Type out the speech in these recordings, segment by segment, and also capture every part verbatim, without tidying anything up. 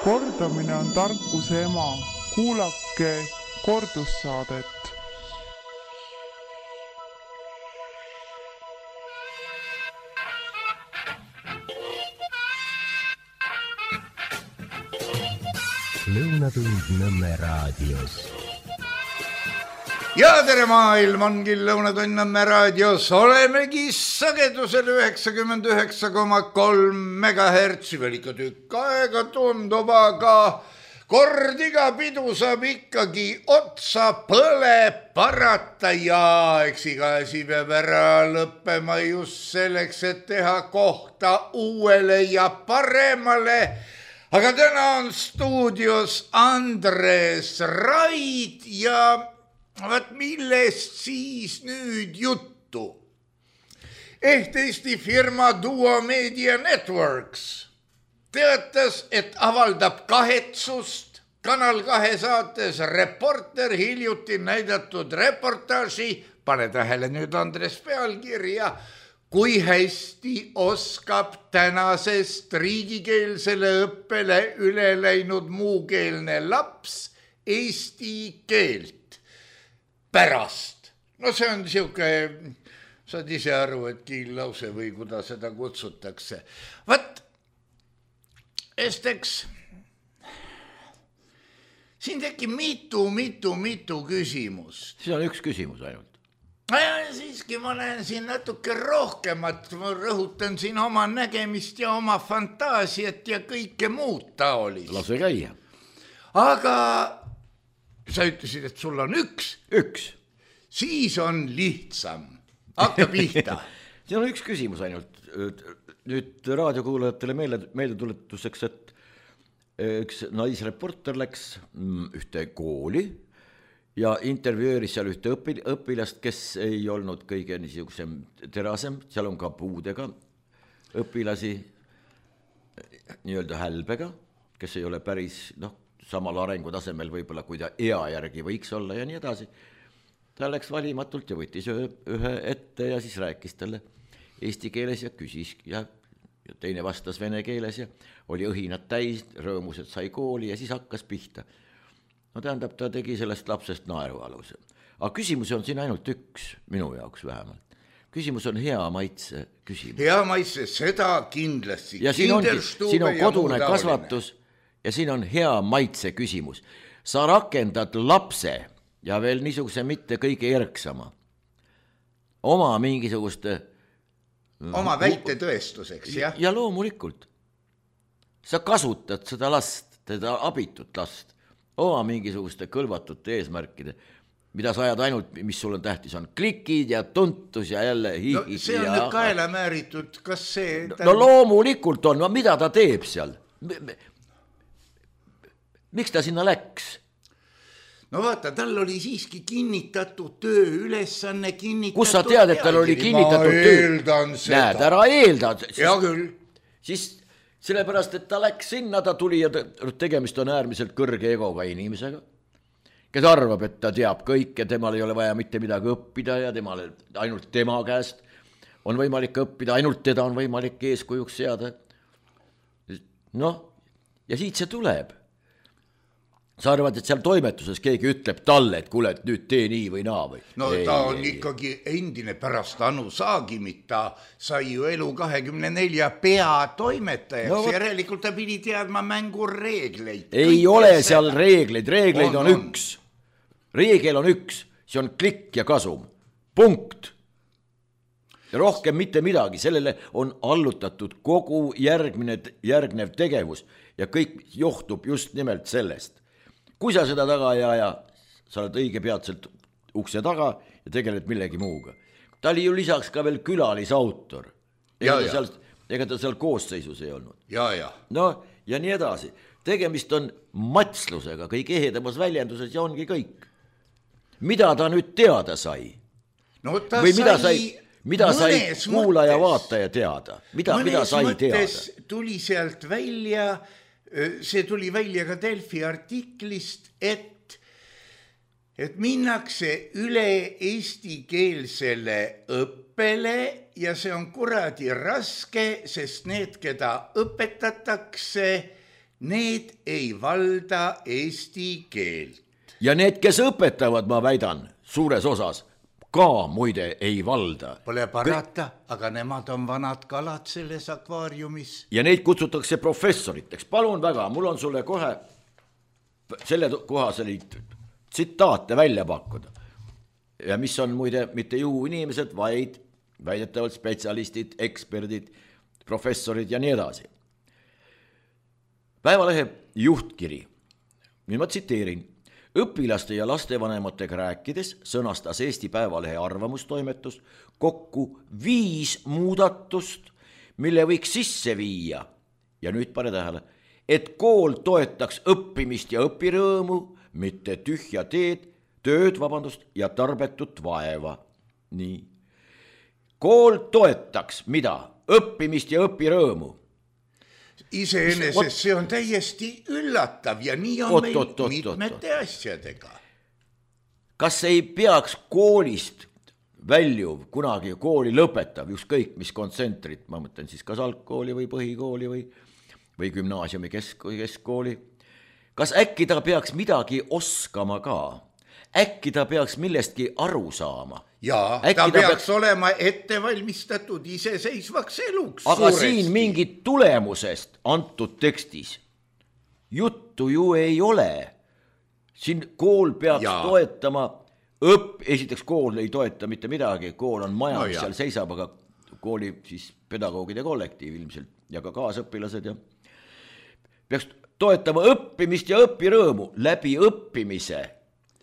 Kordamine on tarkuse ema. Kuulake kordussaadet. Lõunatund Nõmme raadios. Ja tere maailm ongi Lõunatund Nõmme raadios. Olemegi sagedusel üheksakümmend üheksa koma kolm megahertsi. Veel ikka tükk aega tundub, aga kord iga pidu saab ikkagi otsa põle parata ja eks iga asi peab ära lõppema just selleks, et teha kohta uuele ja paremale. Aga täna on stuudios Andres Raid ja vaat millest siis nüüd juttu. Ehk Eesti firma Duo Media Networks teatas, et avaldab kahetsust Kanal kahe saates Reporter hiljuti näidatud reportaaži, pane tähele nüüd Andres pealkirja, kui hästi oskab tänasest riigikeelsele õppele üle läinud muukeelne laps eesti keelt pärast. No see on siuke, saad ise aru, et kiillause või kuidas seda kutsutakse. Vat, esteks, siin teki mitu, mitu, mitu küsimust. See on üks küsimus ainult. Ja siiski ma näen siin natuke rohkemat, ma rõhutan siin oma nägemist ja oma fantaasiat ja kõike muud taolist. Lase käia. Aga sa ütlesid, et sul on üks. Üks. Siis on lihtsam. Hakka pihta. See on üks küsimus ainult. Nüüd raadiokuulajatele meelde, meelde tuletuseks, et üks naisreporter läks ühte kooli ja intervjueeris seal ühte õpil, õpilast, kes ei olnud kõige niisugusem terasem, seal on ka puudega õpilasi nii-öelda hälbega, kes ei ole päris noh, samal arengutasemel võib-olla, kui ta ea järgi võiks olla ja nii edasi. Ta läks valimatult ja võttis ühe, ühe ette ja siis rääkis talle eesti keeles ja küsis ja, ja teine vastas vene keeles ja oli õhinad täis, rõõmus, et sai kooli ja siis hakkas pihta. No tähendab, ta tegi sellest lapsest naerualuse. Aga küsimus on siin ainult üks, minu jaoks vähemalt. Küsimus on hea maitse küsimus. Hea maitse, seda kindlasti. Ja siin, ongi, siin on kodune kasvatus ja siin on hea maitse küsimus. Sa rakendad lapse ja veel niisuguse mitte kõige erksama. Oma mingisuguste... Oma väite tõestuseks, jah? Ja loomulikult. Sa kasutad seda last, teda abitut last. Oma mingisuguste kõlvatute eesmärkide, mida sa ajad ainult, mis sul on tähtis, on klikid ja tuntus ja jälle hihid. No see on ja... nüüd kaela määritud, kas see... No loomulikult on, no mida ta teeb seal? Miks ta sinna läks? No vaata, tal oli siiski kinnitatud töö ülesanne, kinnitatud... Kus sa tead, et tal oli kinnitatud töö? Ma eeldan seda. Näed, ära eeldad. Ja küll. Siis... Sellepärast, et ta läks sinna, ta tuli ja tegemist on äärmiselt kõrge egoga inimesega, kes arvab, et ta teab kõik ja temal ei ole vaja mitte midagi õppida ja temale, ainult tema käest on võimalik õppida, ainult teda on võimalik eeskujuks seada. Noh, ja siit see tuleb. Sa arvad, et seal toimetuses keegi ütleb talle, et kuule, et nüüd tee nii või naa või? No ei, ta on ei, ikkagi endine pärast Anu Saagimit, ta sai ju Elu kahekümne nelja peatoimetajaks no, ja järelikult ta pidi teadma mängu reegleid. Ei Kõik ole seal seda. reegleid, reegleid on, on, on üks. Reegel on üks, see on klikk ja kasum. Punkt. Ja rohkem mitte midagi, sellele on allutatud kogu järgmine, järgnev tegevus ja kõik johtub just nimelt sellest. Kui sa seda taga ei aja, sa oled õige peatselt ukse taga ja tegeled millegi muuga. Ta oli ju lisaks ka veel külalisautor. Ega, ja, ta, seal, ega ta seal koosseisus ei olnud. Ja, ja. No ja nii edasi. Tegemist on matslusega kõige ehedamas väljenduses ja ongi kõik. Mida ta nüüd teada sai? No ta Või mida sai... sai mida sai kuulaja vaataja teada? Mida, mida sai teada? Tuli sealt välja... See tuli välja ka Delfi artiklist, et, et minnakse üle eestikeelsele õppele ja see on kuradi raske, sest need, keda õpetatakse, need ei valda eesti keelt. ja need, kes õpetavad, ma väidan, suures osas ka muide ei valda. Pole parata, aga nemad on vanad kalad selles akvaariumis. ja neid kutsutakse professoriteks. Palun väga, mul on sulle kohe selle kohased tsitaate välja pakkuda. Ja mis on muide mitte juhuinimesed, vaid väidetavalt spetsialistid, eksperdid, professorid ja nii edasi. Päevalehe juhtkiri. Nüüd ma tsiteerin. Õpilaste ja lastevanematega rääkides sõnastas Eesti Päevalehe arvamustoimetus kokku viis muudatust, mille võiks sisse viia. Ja nüüd pane tähele, et kool toetaks õppimist ja õpirõõmu, mitte tühja teed, tööd, vabandust, ja tarbetut vaeva. Nii. Kool toetaks mida? Õppimist ja õpirõõmu. Iseenesest see on täiesti üllatav ja nii on Ot, meil ot, ot, mitmete ot. asjadega. Kas ei peaks koolist väljuv, kunagi kooli lõpetav, ükskõik mis kontsentrit, ma mõtlen siis kas algkooli või põhikooli või, või gümnaasiumi kesk, keskkooli, kas äkki ta peaks midagi oskama ka? Äkki ta peaks millestki aru saama? Jaa, äkki ta, ta peaks peaks olema ettevalmistatud iseseisvaks eluks. aga suuresti. siin mingit tulemusest antud tekstis juttu ju ei ole. Siin kool peaks ja. toetama õpp, esiteks kool ei toeta mitte midagi, kool on maja, No mis ja. seal seisab, aga kooli siis pedagoogide kollektiiv ilmselt ja ka kaasõpilased ja peaks toetama õppimist ja õpirõõmu läbi õppimise.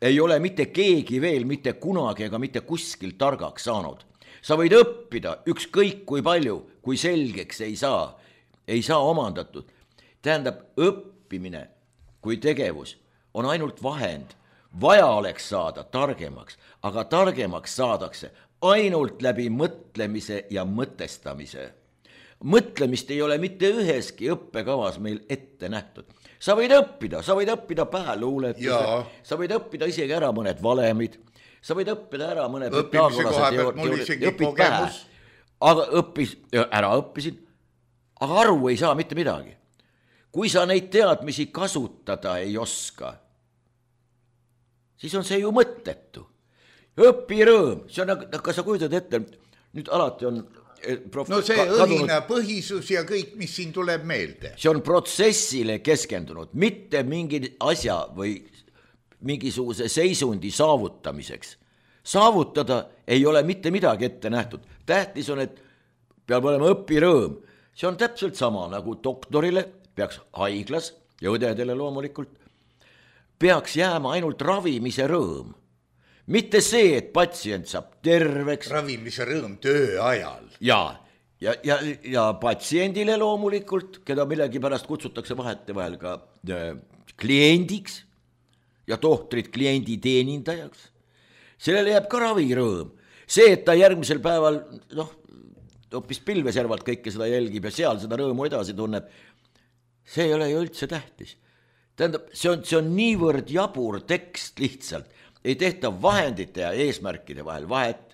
Ei ole mitte keegi veel mitte kunagi ega mitte kuskil targaks saanud. Sa võid õppida ükskõik kui palju, kui selgeks ei saa, ei saa omandatud. Tähendab, õppimine kui tegevus on ainult vahend. Vaja oleks saada targemaks, aga targemaks saadakse ainult läbi mõtlemise ja mõtestamise. Mõtlemist ei ole mitte üheski õppekavas meil ette nähtud. Sa võid õppida, sa võid õppida päeluuletuse, sa võid õppida isegi ära mõned valemid, sa võid õppida ära mõned õppimise koha pealt mul isegi kogemus. Aga õppis, ära õppisin, aga aru ei saa mitte midagi. Kui sa neid teadmisi kasutada ei oska, siis on see ju mõttetu. Õpirõõm, see on, kas sa kujutad ette, nüüd alati on Prof, no see õhina põhisus ja kõik, mis siin tuleb meelde. See on protsessile keskendunud, mitte mingi asja või mingisuguse seisundi saavutamiseks. Saavutada ei ole mitte midagi ette nähtud. Tähtis on, et peab olema õpirõõm. See on täpselt sama nagu doktorile, peaks haiglas ja õdedele loomulikult, peaks jääma ainult ravimise rõõm. Mitte see, et patsient saab terveks. Ravimise rõõm töö ajal. Ja, ja, ja, ja patsiendile loomulikult, keda millegi pärast kutsutakse vahete vahel ka äh, kliendiks ja tohtrid kliendi teenindajaks. Sellele jääb ka ravirõõm. See, et ta järgmisel päeval, noh, hoopis pilveservalt kõike seda jälgib ja seal seda rõõmu edasi tunneb, see ei ole ju üldse tähtis. Tähendab, see on, see on niivõrd jabur tekst lihtsalt. Ei tehta vahendite ja eesmärkide vahel vahet,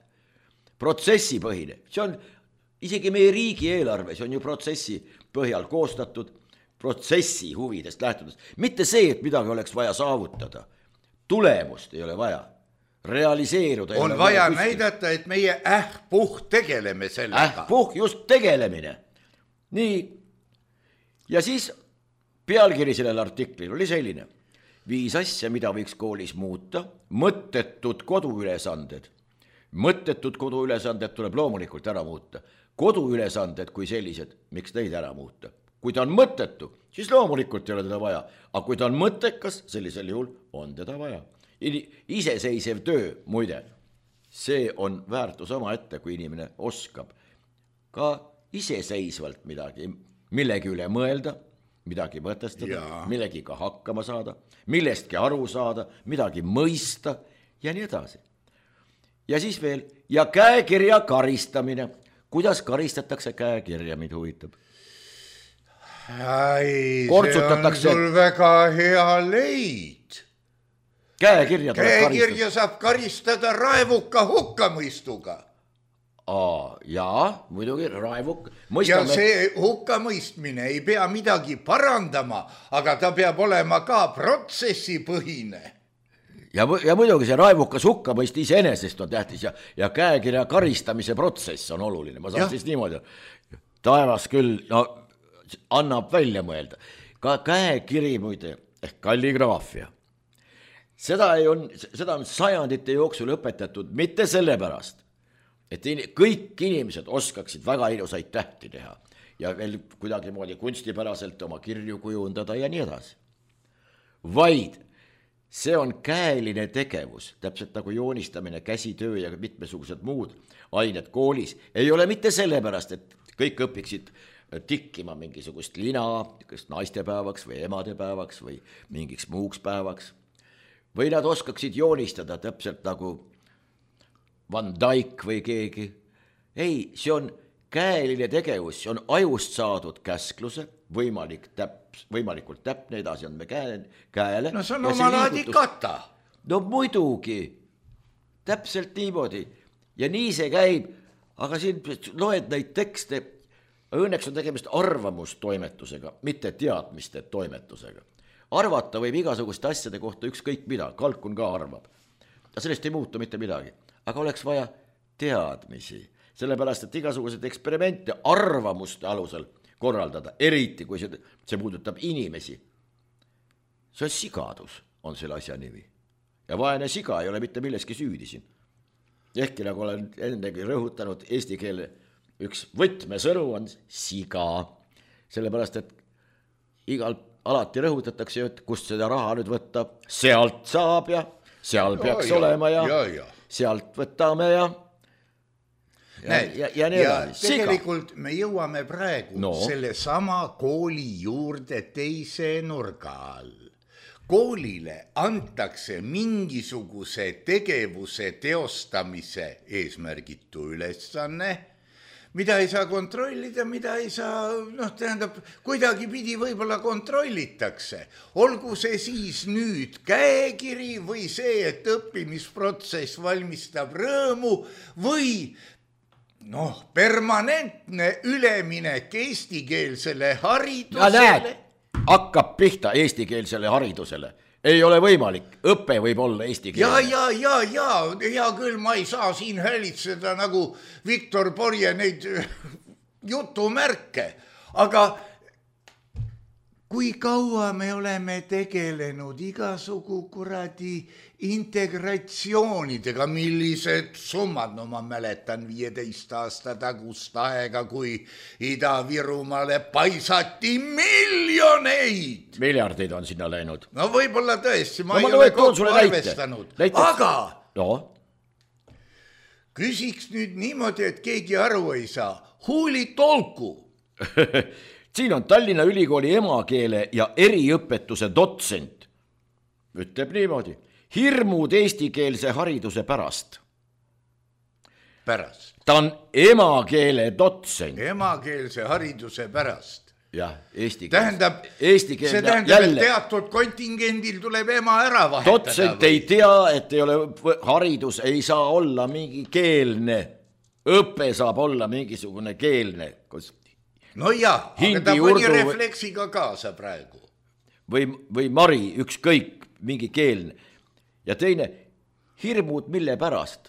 protsessipõhine. See on isegi meie riigi eelarve, see on ju protsessi põhjal koostatud, protsessi huvidest lähtudes. Mitte see, et midagi oleks vaja saavutada. Tulemust ei ole vaja. Realiseeruda. On vaja näidata, et meie ähpuh tegeleme sellega. Ähpuh just tegelemine. Nii. Ja siis pealkiri sellel artiklil oli selline. Viis asja, mida võiks koolis muuta, mõttetud koduülesanded. Mõttetud koduülesanded tuleb loomulikult ära muuta. Koduülesanded kui sellised, miks neid ära muuta? Kui ta on mõttetu, siis loomulikult ei ole teda vaja. Aga kui ta on mõttekas, sellisel juhul on teda vaja. Iseseisev töö, muide, see on väärtus oma ette, kui inimene oskab ka iseseisvalt midagi, millegi üle mõelda, midagi mõtestada, millegi ka hakkama saada, millestki aru saada, midagi mõista ja nii edasi. Ja siis veel, ja käekirja karistamine. Kuidas karistatakse käekirja, mind huvitab? Ai, Kortsutatakse... see on sul väga hea leid. Käekirja, Käekirja saab karistada raevuka hukkamõistuga. Aa, jaa, muidugi raevuk. Ja see hukkamõistmine ei pea midagi parandama, aga ta peab olema ka protsessipõhine. Ja, ja muidugi see raevukas hukkamõist iseenesest on tähtis ja, ja käekirja karistamise protsess on oluline. Ma saan siis niimoodi, taevas küll no, annab välja mõelda. Ka käekiri muide ehk kalligraafia. Seda, ei on, seda on sajandite jooksul õpetatud mitte sellepärast, et kõik inimesed oskaksid väga ilusaid tähti teha ja veel kuidagi moodi kunstipäraselt oma kirju kujundada ja nii edasi. Vaid see on käeline tegevus, täpselt nagu joonistamine, käsitöö ja mitmesugused muud ained koolis. Ei ole mitte sellepärast, et kõik õpiksid tikkima mingisugust lina, kas naistepäevaks või emadepäevaks või mingiks muuks päevaks. Või nad oskaksid joonistada täpselt nagu Van Dyck või keegi. Ei, see on käeline tegevus, see on ajust saadud käskluse, võimalik täp, võimalikult täpne, edasi on me käe, käele. No see on oma laadi kata. No muidugi, täpselt niimoodi. Ja nii see käib, aga siin loed neid tekste, õnneks on tegemist arvamustoimetusega, mitte teadmiste toimetusega. Arvata võib igasugust asjade kohta ükskõik mida, Kalkun ka arvab. Ja sellest ei muutu mitte midagi. Aga oleks vaja teadmisi, sellepärast, et igasugused eksperimente arvamuste alusel korraldada, eriti kui see, see puudutab inimesi. See on sigadus, on selle asja nimi. Ja vaene siga ei ole mitte milleski süüdi siin. Ehkki nagu olen ennegi rõhutanud, eesti keele üks võtmesõnu on siga, sellepärast, et igal alati rõhutatakse, et kust seda raha nüüd võtta, sealt saab ja seal peaks ja, olema ja, ja, ja. Sealt võtame ja ja, Näed, ja, ja, ja tegelikult me jõuame praegu no. selle sama kooli juurde teise nurga all. Koolile antakse mingisuguse tegevuse teostamise eesmärgitu ülesanne, mida ei saa kontrollida, mida ei saa, noh, tähendab, kuidagi pidi võib-olla kontrollitakse. Olgu see siis nüüd käekiri või see, et õppimisprotsess valmistab rõõmu või noh, permanentne üleminek eestikeelsele haridusele. Ja näed, hakkab pihta eestikeelsele haridusele. Ei ole võimalik, õpe võib olla eesti keele. Ja, ja, ja, ja, ja küll ma ei saa siin hälitseda nagu Viktor Porje neid jutumärke, aga kui kaua me oleme tegelenud igasugu kuradi integratsioonidega, millised summad, no ma mäletan viieteist aasta tagust aega, kui Ida-Virumaale paisati miljoneid. Miljardeid on sinna läinud. No võib-olla tõesti, ma no, ei ma ole kokku arvestanud. Näite. Aga no. Küsiks nüüd niimoodi, et keegi aru ei saa. Huuli tolku. Siin on Tallinna Ülikooli emakeele ja eriõpetuse dotsent. Ütleb niimoodi. Hirmud eestikeelse hariduse pärast. Pärast. Ta on emakeele dotsent. Emakeelse hariduse pärast. Jah, eesti keele. Tähendab, eesti keele, see tähendab, jälle. Et teatud kontingendil tuleb ema ära vahetada. Dotsent või? Ei tea, et ei ole, haridus ei saa olla mingi keelne. Õpe saab olla mingisugune keelne. No jah, aga ta pani refleksiga kaasa praegu. Või, või Mari, ükskõik, mingi keelne. Ja teine, hirmud mille pärast?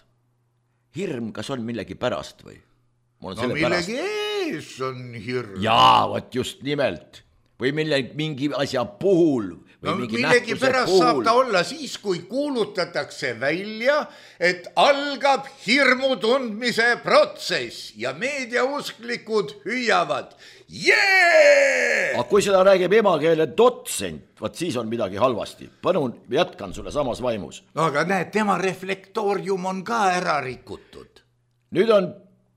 Hirm, kas on millegi pärast või? No millegi ees on hirm. Jaa, võt just nimelt. Või millegi, mingi asja puhul. Või no mingi millegi pärast puhul. Saab ta olla siis, kui kuulutatakse välja, et algab hirmu tundmise protsess ja meediausklikud hüüavad. Jee! Aga kui seda räägib emakeele dotsent, vaat siis on midagi halvasti. Panun, jätkan sulle samas vaimus. No aga näed, tema reflektoorium on ka ära rikutud. Nüüd on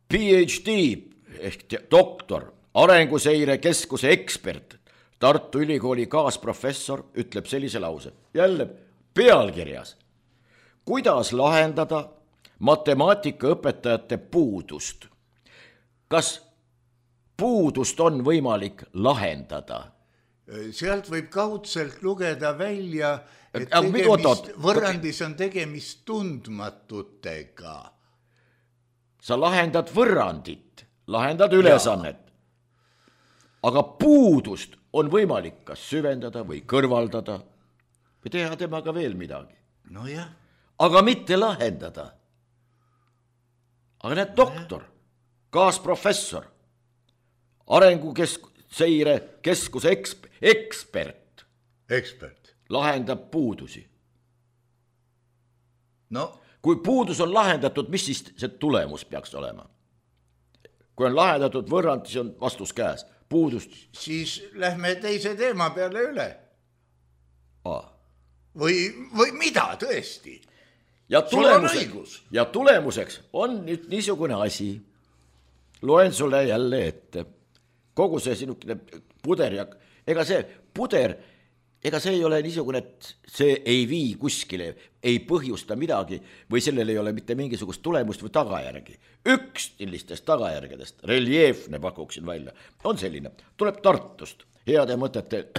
P H D ehk doktor, Arenguseire Keskuse ekspert, Tartu Ülikooli kaasprofessor ütleb sellise lause. Jälle pealkirjas. Kuidas lahendada matemaatikaõpetajate puudust? Kas puudust on võimalik lahendada? Sealt võib kaudselt lugeda välja, et tegemist, võrrandis on tegemist tundmatutega. sa lahendad võrrandit, lahendad ülesannet. Aga puudust on võimalik kas süvendada või kõrvaldada või teha temaga veel midagi. No jah. Aga mitte lahendada. Aga need doktor, kaasprofessor, arenguseire keskuse eksp- ekspert, ekspert lahendab puudusi. No. Kui puudus on lahendatud, mis siis see tulemus peaks olema? Kui on lahendatud võrrand, siis on vastus käes. Puudust. Siis lähme teise teema peale üle. Aa. Või, või mida tõesti? Ja, tulemuseks, ja tulemuseks on nüüd niisugune asi. Loen sulle jälle ette. Kogu see sinukene puder ja ega see puder, ega see ei ole niisugune, et see ei vii kuskile, ei põhjusta midagi või sellel ei ole mitte mingisugust tulemust või tagajärgi. Üks sellistest tagajärgedest, reljeefne pakuksin välja, on selline, tuleb Tartust, heade mõtete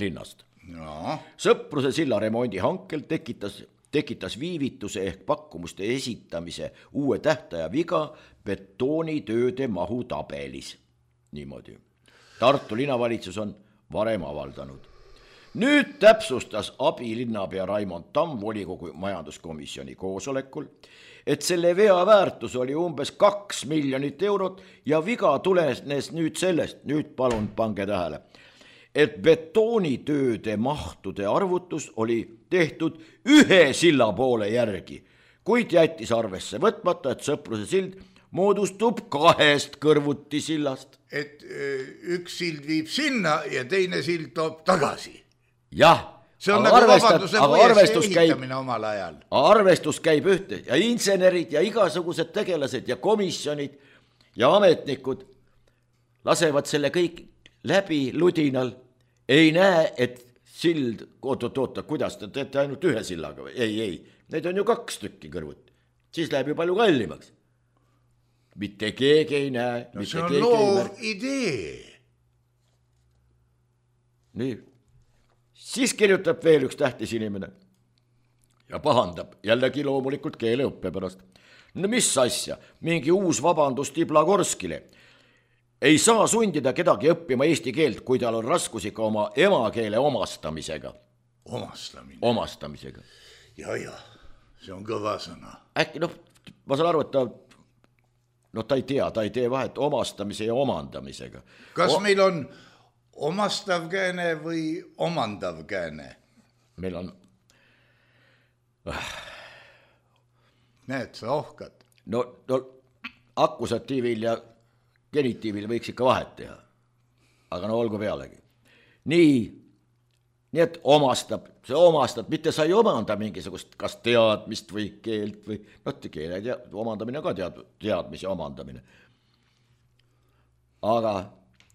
linnast. No. Sõpruse silla remondi hankel tekitas, tekitas viivituse ehk pakkumuste esitamise uue tähtaja viga betoonitööde mahu tabelis. Niimoodi. Tartu linnavalitsus on varem avaldanud. Nüüd täpsustas abilinnapea Raimond Tamm volikogu majanduskomisjoni koosolekul, et selle vea väärtus oli umbes kaks miljonit eurot ja viga tulenes nüüd sellest, nüüd palun pange tähele, et betoonitööde mahtude arvutus oli tehtud ühe silla poole järgi, kuid jättis arvesse võtmata, et Sõpruse sild moodustub kahest kõrvuti sillast. Et üks sild viib sinna ja teine sild toob tagasi. Jah, see on nagu vabanduse võiesse ehitamine omal ajal. Arvestus käib ühte ja insenerid ja igasugused tegelased ja komisjonid ja ametnikud lasevad selle kõik läbi ludinal. Ei näe, et sild, oot-oot-oota, kuidas te teete ainult ühe sillaga või? Ei, ei, need on ju kaks tükki kõrvuti. Siis läheb ju palju kallimaks. Mitte keegi ei näe. No see on loov idee. Nii. Siis kirjutab veel üks tähtis inimene ja pahandab jällegi loomulikult keeleõppe pärast. No mis asja, mingi uus vabandus Tiblagorskile. Ei saa sundida kedagi õppima eesti keelt, kui tal on raskusi ka oma emakeele omastamisega. Omastamine. Omastamisega. Ja, ja, see on kõva sõna. Äkki, noh, ma saan aru, et ta, no ta ei tea, ta ei tee vahet omastamise ja omandamisega. Kas o- meil on omastav kääne või omandav kääne? Meil on... Näed, sa ohkad. No, no akkusatiivil ja genitiivil võiks ikka vahet teha. Aga no olgu pealegi. Nii, nii et omastab, see omastab, mitte sa ei omanda mingisugust kas teadmist või keelt või, no keele tea, omandamine ka tead, teadmis ja omandamine. Aga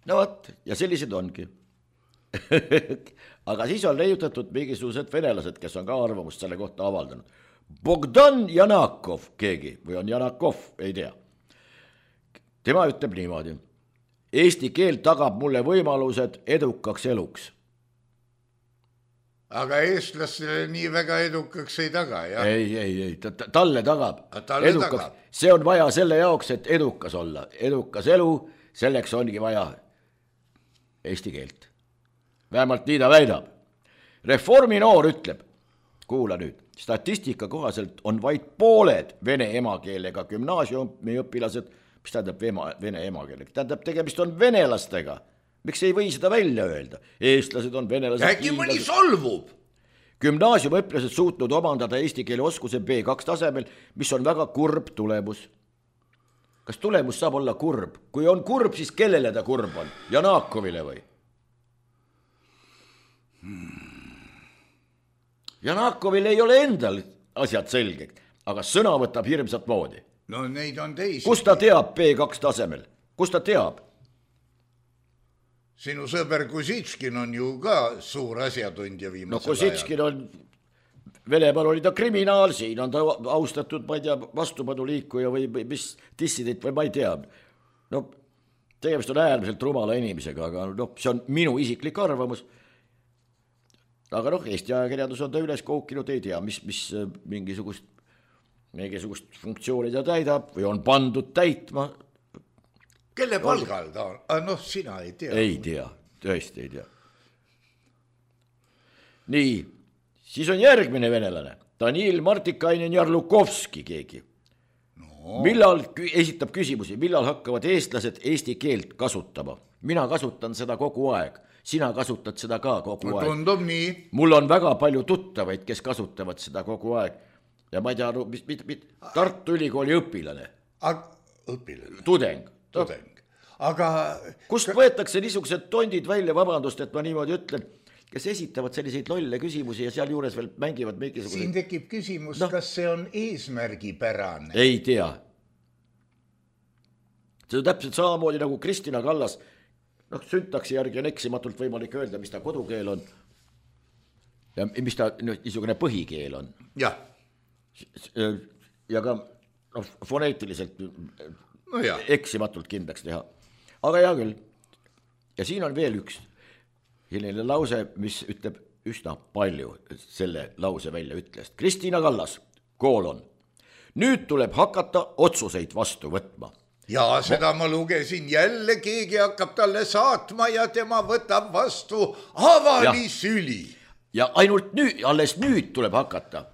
no võt, ja sellised ongi. Aga siis on leiutatud mingisugused venelased, kes on ka arvamust selle kohta avaldanud. Bogdan Janakov keegi, või on Janakov, ei tea. Tema ütleb niimoodi. Eesti keel tagab mulle võimalused edukaks eluks. Aga eestlastele nii väga edukaks ei taga, jah? Ei, ei, ei, ta, ta, talle tagab. Talle edukaks. tagab. See on vaja selle jaoks, et edukas olla. Edukas elu, selleks ongi vaja eesti keelt. Vähemalt nii ta väidab. Reformi noor ütleb, kuula nüüd, statistika kohaselt on vaid pooled vene emakeelega gümnaasiumi õpilased, mis tähendab vene emakeelega, tähendab tegemist on venelastega. Miks ei või seda välja öelda? Eestlased on venelased. Äkki mõni solvub? Gümnaasiumi õpilased suutnud omandada eesti keele oskuse B kaks tasemel, mis on väga kurb tulemus. Kas tulemus saab olla kurb? Kui on kurb, siis kellele ta kurb on? Janakovile või? Janakovil ei ole endal asjad selged, aga sõna võtab hirmsat moodi. No neid on teisi. Kus ta teab B kaks tasemel? Kus ta teab? Sinu sõber Kusitskin on ju ka suur asjatundja viimasel no, Kusitskin ajal. On, Venemaal oli ta kriminaal, siin on ta austatud, ma ei tea, vastupaduliikuja või mis dissident või ma ei tea. No, tegemist on äärmiselt rumala inimesega, aga no, see on minu isiklik arvamus. Aga noh, Eesti ajakirjandus on ta üles kookinud, ei tea, mis, mis mingisugust mingisugust funktsiooni ta täidab või on pandud täitma. Kelle palgal ta on? Ah, noh, sina ei tea. Ei tea, tõesti ei tea. Nii, siis on järgmine venelane. Danil Martikainen Jarlukovski keegi. No. Millal esitab küsimusi, millal hakkavad eestlased eesti keelt kasutama? Mina kasutan seda kogu aeg. Sina kasutad seda ka kogu no, aeg. Tundub nii. Mul on väga palju tuttavaid, kes kasutavad seda kogu aeg. Ja ma ei tea, mis, mis, mis, Tartu Ülikooli õpilane. Aga, õpilane? Tudeng. Tudeng. Aga... Kust võetakse niisugused tondid välja, vabandust, et ma niimoodi ütlen, kes esitavad selliseid lolle küsimusi ja seal juures veel mängivad mingisugused... Siin tekib küsimus, no. Kas see on eesmärgipärane? Ei tea. See on täpselt samamoodi nagu Kristina Kallas. Noh, syntaksi järgi on eksimatult võimalik öelda, mis ta kodukeel on ja mis ta niisugune põhikeel on. Jah. Ja ka no, foneetiliselt no jah. Eksimatult kindlaks teha. Aga hea küll. Ja siin on veel üks selline lause, mis ütleb üsna palju selle lause välja ütlest. Kristina Kallas, koolon. Nüüd tuleb hakata otsuseid vastu võtma. Ja seda ma lugesin jälle, keegi hakkab talle saatma ja tema võtab vastu avalisüli. Ja ainult nüüd, alles nüüd tuleb hakata.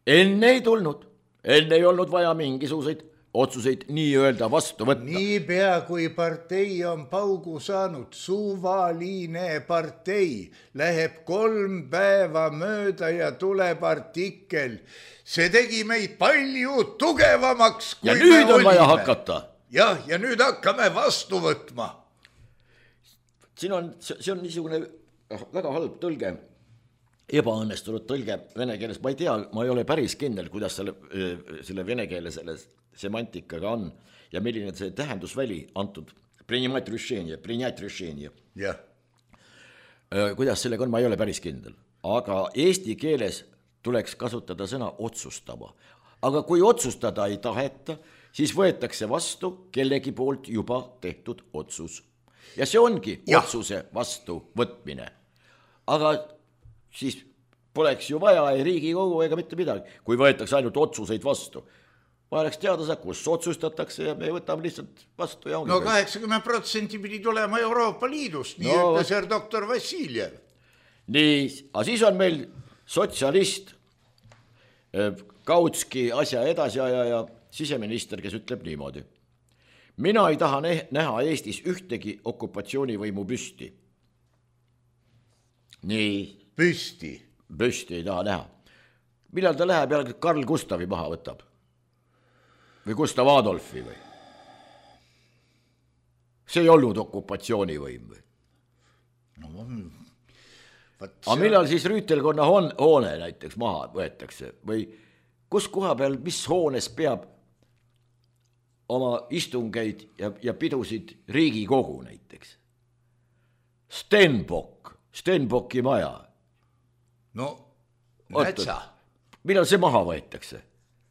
Enne ei tulnud, enne ei olnud vaja mingisuguseid otsuseid nii öelda vastu võtta. Nii pea kui partei on paugu saanud, suvaline partei, läheb kolm päeva mööda ja tuleb artikkel. See tegi meid palju tugevamaks, kui ja nüüd me on olime. Vaja hakata. Jah, ja nüüd hakkame vastu võtma. Siin on, see on niisugune väga halb tõlge, ebaõnnestunud tõlge vene keeles. Ma ei tea, ma ei ole päris kindel, kuidas selle, selle vene keele selle semantikaga on ja milline see tähendusväli antud. Принять решение, принять решение. Jah. Kuidas sellega on, ma ei ole päris kindel. Aga eesti keeles tuleks kasutada sõna otsustama. Aga kui otsustada ei taheta, siis võetakse vastu kellegi poolt juba tehtud otsus. Ja see ongi ja. Otsuse vastu võtmine. Aga siis poleks ju vaja ei Riigikogu ega mitte midagi, kui võetakse ainult otsuseid vastu. Vaheleks teada saa, kus otsustatakse ja me võtame lihtsalt vastu. Ja no kaheksakümmend protsenti pidi tulema Euroopa Liidust, nii no, ütles her doktor Vassiljev. Nii, aga siis on meil sotsialist, Kautski asja edasi ja, ja siseminister, kes ütleb niimoodi. Mina ei taha näha Eestis ühtegi okupatsioonivõimu püsti. Nii. Püsti? Püsti ei taha näha. Millal ta läheb jälle Karl Gustavi maha võtab? Või Gustav Adolfi või? See ei olnud okupatsioonivõim või? No, aga millal siis Rüütelkonna hoone näiteks maha võetakse või kus koha peal, mis hoones peab oma istungeid ja, ja pidusid Riigikogu näiteks? Stenbock, Stenbocki maja. No, nätsa. Millal see maha võetakse?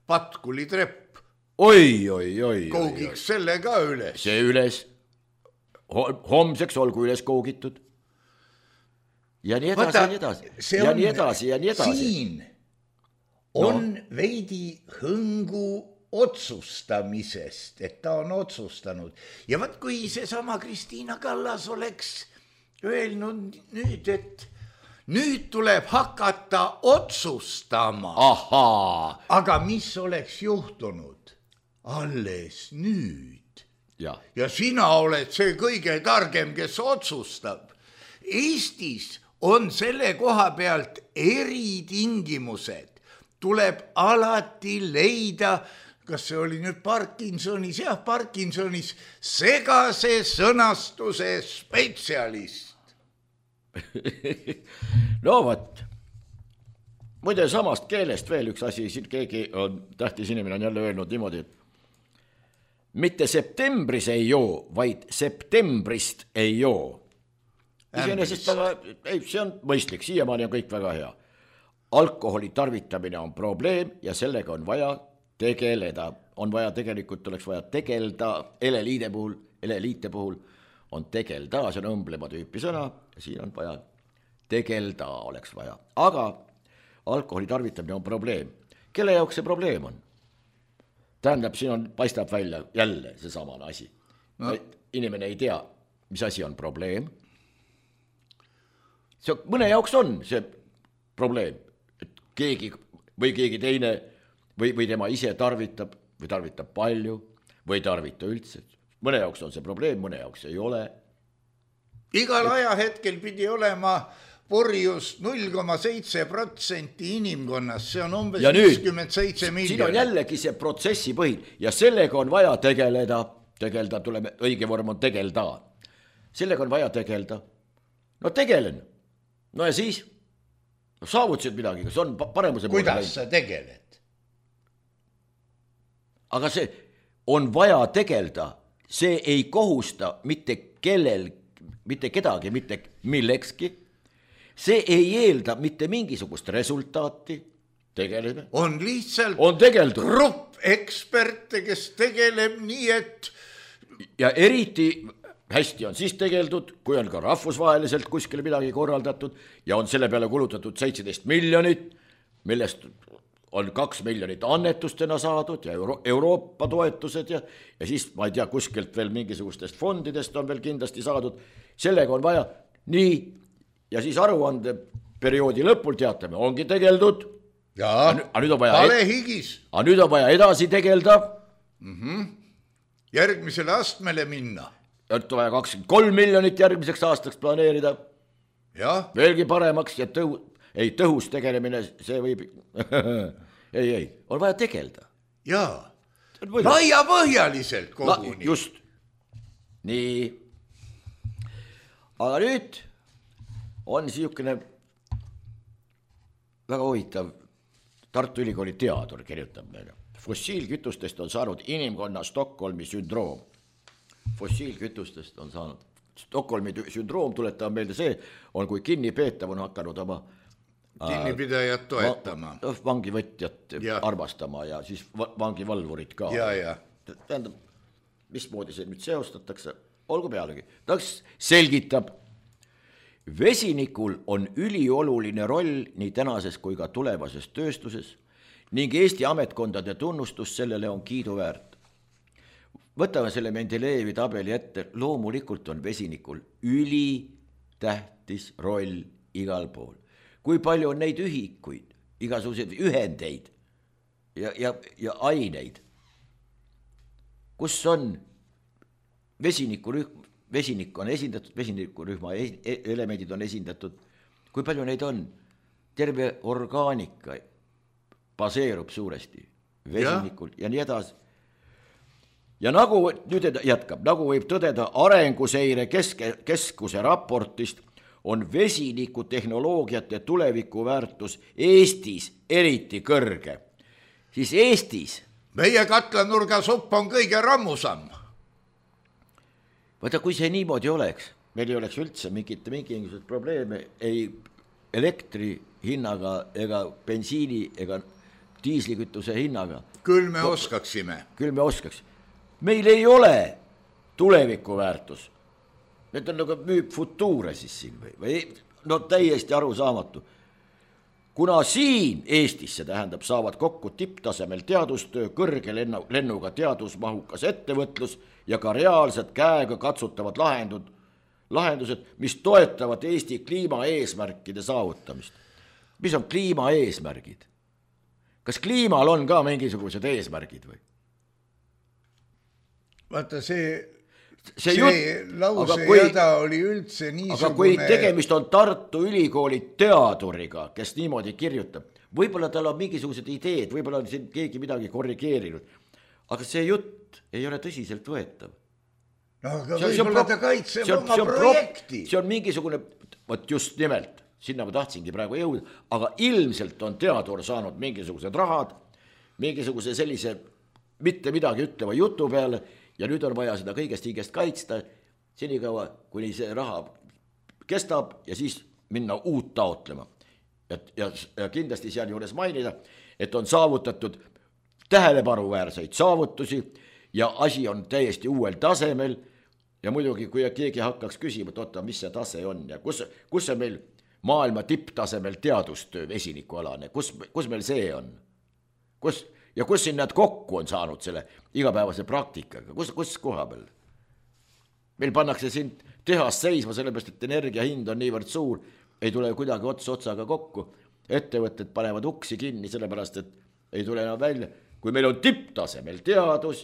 Patkuli trepp. Oi, oi, oi. Koogiks oi, selle ka üles. See üles. Homseks olgu üles koogitud. Ja nii edasi, Võta, ja nii edasi, ja on, nii edasi, ja nii edasi. Siin on no. veidi hõngu otsustamisest, et ta on otsustanud. Ja võt, kui see sama Kristina Kallas oleks öelnud nüüd, et nüüd tuleb hakata otsustama. Ahaa. Aga mis oleks juhtunud? Alles nüüd. Ja, ja sina oled see kõige targem, kes otsustab. Eestis on selle koha pealt eritingimused. Tuleb alati leida, kas see oli nüüd Parkinsonis, jah, Parkinsonis segase sõnastuse spetsialist. No võt. Muide samast keelest veel üks asi, siin keegi on, tähtis inimene on jälle öelnud niimoodi, et mitte septembris ei joo, vaid septembrist ei joo. Iseenesest väga, ei, see on mõistlik, siiamaani on kõik väga hea. Alkoholi tarvitamine on probleem ja sellega on vaja tegeleda. On vaja, tegelikult oleks vaja tegelda, eleliide puhul, eleliite puhul on tegelda, see on õmblema tüüpi sõna, siin on vaja tegelda, oleks vaja. Aga alkoholi tarvitamine on probleem kelle jaoks see probleem on? Tähendab, siin on, paistab välja jälle see samane asi no.. Inimene ei tea, mis asi on probleem. See mõne jaoks on see probleem, et keegi või keegi teine või, või tema ise tarvitab või tarvitab palju või tarvita üldse. Mõne jaoks on see probleem, mõne jaoks ei ole. Igal et... ajahetkel pidi olema purjus null koma seitse protsenti inimkonnas, see on umbes viiskümmend seitse miljonit. Siin on jällegi see protsessi põhil ja sellega on vaja tegeleda, tegeleda, tuleme, õige vorm on tegelda. Sellega on vaja tegeleda. No tegelen. No ja siis no, saavutasid midagi, kas on paremuse poole. Kuidas sa tegeled? Aga see on vaja tegeleda, see ei kohusta mitte kellel, mitte kedagi, mitte millekski. See ei eelda mitte mingisugust resultaati. Tegeleme. On lihtsalt on tegeldud. Grupp eksperte, kes tegeleb nii, et ja eriti hästi on siis tegeldud, kui on ka rahvusvaheliselt kuskil midagi korraldatud ja on selle peale kulutatud seitseteist miljonit, millest on kaks miljonit annetustena saadud ja Euro- Euroopa toetused ja, ja siis ma ei tea, kuskilt veel mingisugustest fondidest on veel kindlasti saadud. Sellega on vaja nii ja siis aruande perioodi lõpul teatame, ongi tegeldud. Jaa, vale higis. Aga nüüd on vaja edasi tegelda. Mm-hmm. Järgmisele astmele minna. Et on vaja kakskümmend kolm miljonit järgmiseks aastaks planeerida. Ja. Veelgi paremaks ja tõhu, ei, tõhus tegelemine, see võib... ei, ei, on vaja tegelda. Jaa, laia põhjaliselt koguni. La, just. Nii. Aga nüüd on siukene väga huvitav Tartu Ülikooli teadur kirjutab meile. Fossiilkütustest on saanud inimkonna Stockholmi sündroom. Fossiilkütustest on saanud Stockholmi sündroom, tuletab meelde see, on kui kinnipeetav on hakanud oma kinnipidajat toetama. Va, vangivõtjat ja. Armastama ja siis vangivalvurit ka. Ja, ja. Tähendab, mismoodi see nüüd seostatakse, olgu pealegi. Taks selgitab, vesinikul on ülioluline roll nii tänases kui ka tulevases tööstuses ning Eesti ametkondade tunnustus sellele on kiiduväärt. Võtame selle Mendelejevi tabeli ette, loomulikult on vesinikul üli tähtis roll igal pool. Kui palju on neid ühikuid, igasuguseid ühendeid ja, ja, ja aineid, kus on vesinikurühm, vesinik on esindatud, vesinikurühma elemendid on esindatud, kui palju neid on, terve orgaanika baseerub suuresti vesinikul ja, ja nii edasi. Ja nagu nüüd jätkab, nagu võib tõdeda arenguseire keske, keskuse raportist, on vesiniku tehnoloogiate tulevikuväärtus Eestis eriti kõrge. Siis Eestis... Meie katlanurga supp on kõige rammusam. Võta, kui see niimoodi oleks, meil ei oleks üldse mingit, mingisugused probleeme ei elektri hinnaga ega bensiini ega diislikütuse hinnaga. Küll me oskaksime. Küll me oskaks. Meil ei ole tulevikuväärtus. Need on nagu müüb futuure siis siin või, või no täiesti arusaamatu. Kuna siin Eestis, see tähendab, saavad kokku tipptasemel teadustöö, kõrge lennu, lennuga teadusmahukas ettevõtlus ja ka reaalsed käega katsutavad lahendud, lahendused, mis toetavad Eesti kliimaeesmärkide saavutamist. Mis on kliimaeesmärgid? Kas kliimal on ka mingisugused eesmärgid või? Vaata see, see, see jutt, lause kui, jada oli üldse niisugune... Aga kui tegemist on Tartu Ülikooli teaduriga, kes niimoodi kirjutab, võib-olla tal on mingisugused ideed, võib-olla on siin keegi midagi korrigeerinud, aga see jutt ei ole tõsiselt võetav. No aga võib-olla ta kaitseb oma projekti. See on mingisugune, võt just nimelt, sinna ma tahtsingi praegu jõuda, aga ilmselt on teadur saanud mingisugused rahad, mingisuguse sellise mitte midagi ütleva jutu peale, ja nüüd on vaja seda kõigest hingest kaitsta, senikaua, kuni see raha kestab ja siis minna uut taotlema. Ja, ja, ja kindlasti seal juures mainida, et on saavutatud tähelepanuväärseid saavutusi ja asi on täiesti uuel tasemel ja muidugi, kui keegi hakkaks küsima, et oota, mis see tase on ja kus, kus see meil maailma tipptasemel teadustöö vesinikualane, kus, kus meil see on? kus, ja kus siin nad kokku on saanud selle igapäevase praktikaga, kus, kus koha peal? Meil pannakse siin tehas seisma, sellepärast, et energia hind on niivõrd suur, ei tule kuidagi ots otsaga kokku. Ettevõtted panevad uksi kinni, sellepärast, et ei tule enam välja. Kui meil on tipptasemel teadus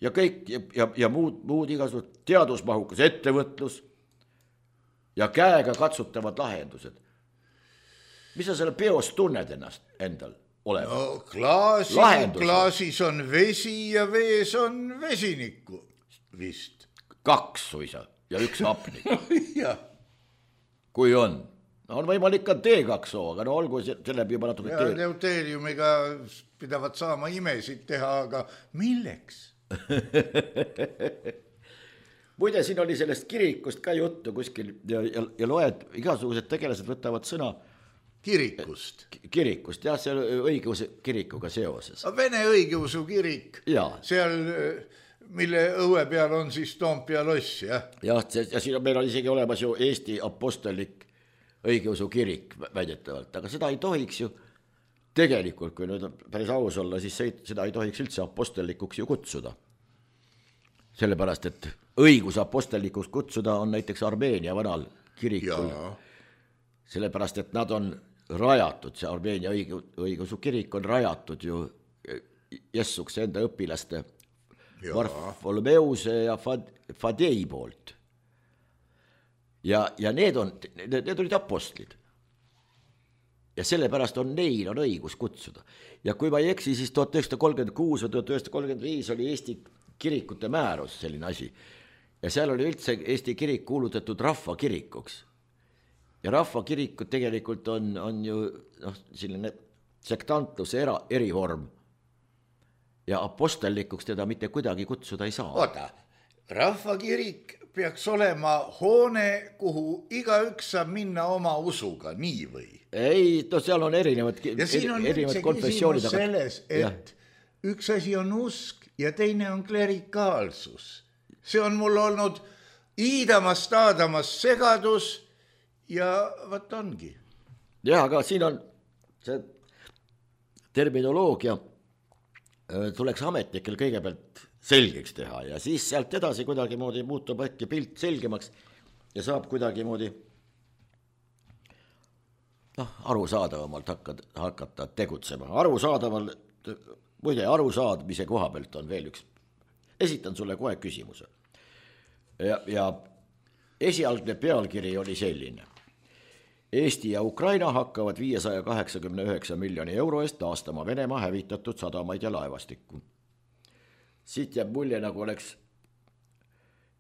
ja kõik ja, ja, ja muud, muud igasugused teadusmahukas ettevõtlus ja käega katsutavad lahendused. Mis sa selle peos tunned ennast endal olema? No klaasi, klaasis on vesi ja vees on vesinikku vist. Kaks suisa ja üks hapnik. Jah. Kui on. No on võimalik ka T kaks O, aga no olgu selle juba natuke ja deuteriumiga pidavad saama imesid teha, aga milleks? Muide, siin oli sellest kirikust ka juttu kuskil ja, ja, ja loed, igasugused tegelased võtavad sõna kirikust. Kirikust, jah, see õigeusu kirikuga seoses. Vene õigeusu kirik, ja. Seal, mille õue peal on siis Toompea loss, jah? Jah, ja siin on meil on isegi olemas ju Eesti apostellik õigeusu kirik väidetavalt, aga seda ei tohiks ju tegelikult, kui nüüd päris aus olla, siis seda ei tohiks üldse apostellikuks ju kutsuda. Sellepärast, et õigus apostellikuks kutsuda on näiteks Armeenia vanal kirikul. Ja. Sellepärast, et nad on rajatud, see Armeenia õigeusu kirik on rajatud ju Jessuks enda õpilaste Varfolomeuse ja Fadei poolt. Ja, ja need, on, need, need olid apostlid. Ja sellepärast on neil on õigus kutsuda. Ja kui ma ei eksi, siis tuhat üheksasada kolmkümmend kuus või tuhat üheksasada kolmkümmend viis oli Eesti kirikute määrus selline asi. Ja seal oli üldse Eesti kirik kuulutatud rahvakirikuks. Ja rahvakirikud tegelikult on, on ju noh, selline sektantluse era, erivorm. Ja apostellikuks teda mitte kuidagi kutsuda ei saa. Oota, rahvakirik peaks olema hoone, kuhu igaüks saab minna oma usuga, nii või? Ei, no seal on erinevad, ja siin on erinevad üldse konfessioonid. Küsimus selles, et ja. Üks asi on usk ja teine on klerikaalsus. See on mul olnud iidamas, taadamas segadus ja võt ongi. Ja, aga siin on see terminoloogia tuleks ametnikel kõigepealt selgeks teha ja siis sealt edasi kuidagi moodi muutub äkki pilt selgemaks ja saab kuidagi moodi noh, arusaadavamalt hakata, hakata tegutsema. Arusaadaval, muide, arusaadmise koha pealt on veel üks. Esitan sulle kohe küsimuse. Ja, ja esialgne pealkiri oli selline. Eesti ja Ukraina hakkavad viiesaja kaheksakümne üheksa miljoni euro eest taastama Venemaa hävitatud sadamaid ja laevastikku. Siit jääb mulje, nagu oleks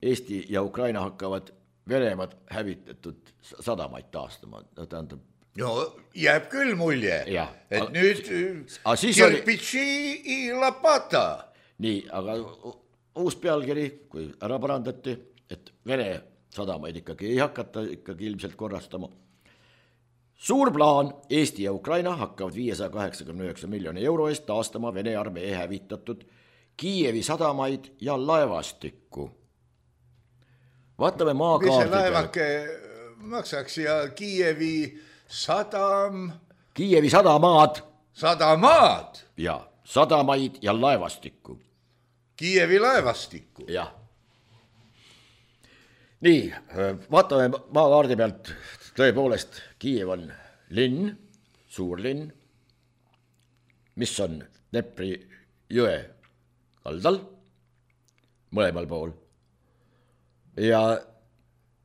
Eesti ja Ukraina hakkavad Venemaad hävitatud sadamaid taastama. No, tähendab, no jääb küll mulje, ja, et aga, nüüd kirpitsi oli... i lapata. Nii, aga uus pealkiri, kui ära parandati, et Vene sadamaid ikkagi ei hakata ikkagi ilmselt korrastama. Suur plaan, Eesti ja Ukraina hakkavad viiesaja kaheksakümne üheksa miljoni euro eest taastama Vene armee hävitatud Kiievi sadamaid ja laevastikku. Vaatame maakaardi peal. Mis see laevake maksaks ja Kiievi sadam... Kiievi sadamaad. Sadamaad? Ja, sadamaid ja laevastikku. Kiievi laevastikku? Jah. Nii, vaatame maakaardi pealt. Tõepoolest, Kiiev on linn, suur linn, mis on Dnepri jõe kaldal, mõlemal pool. Ja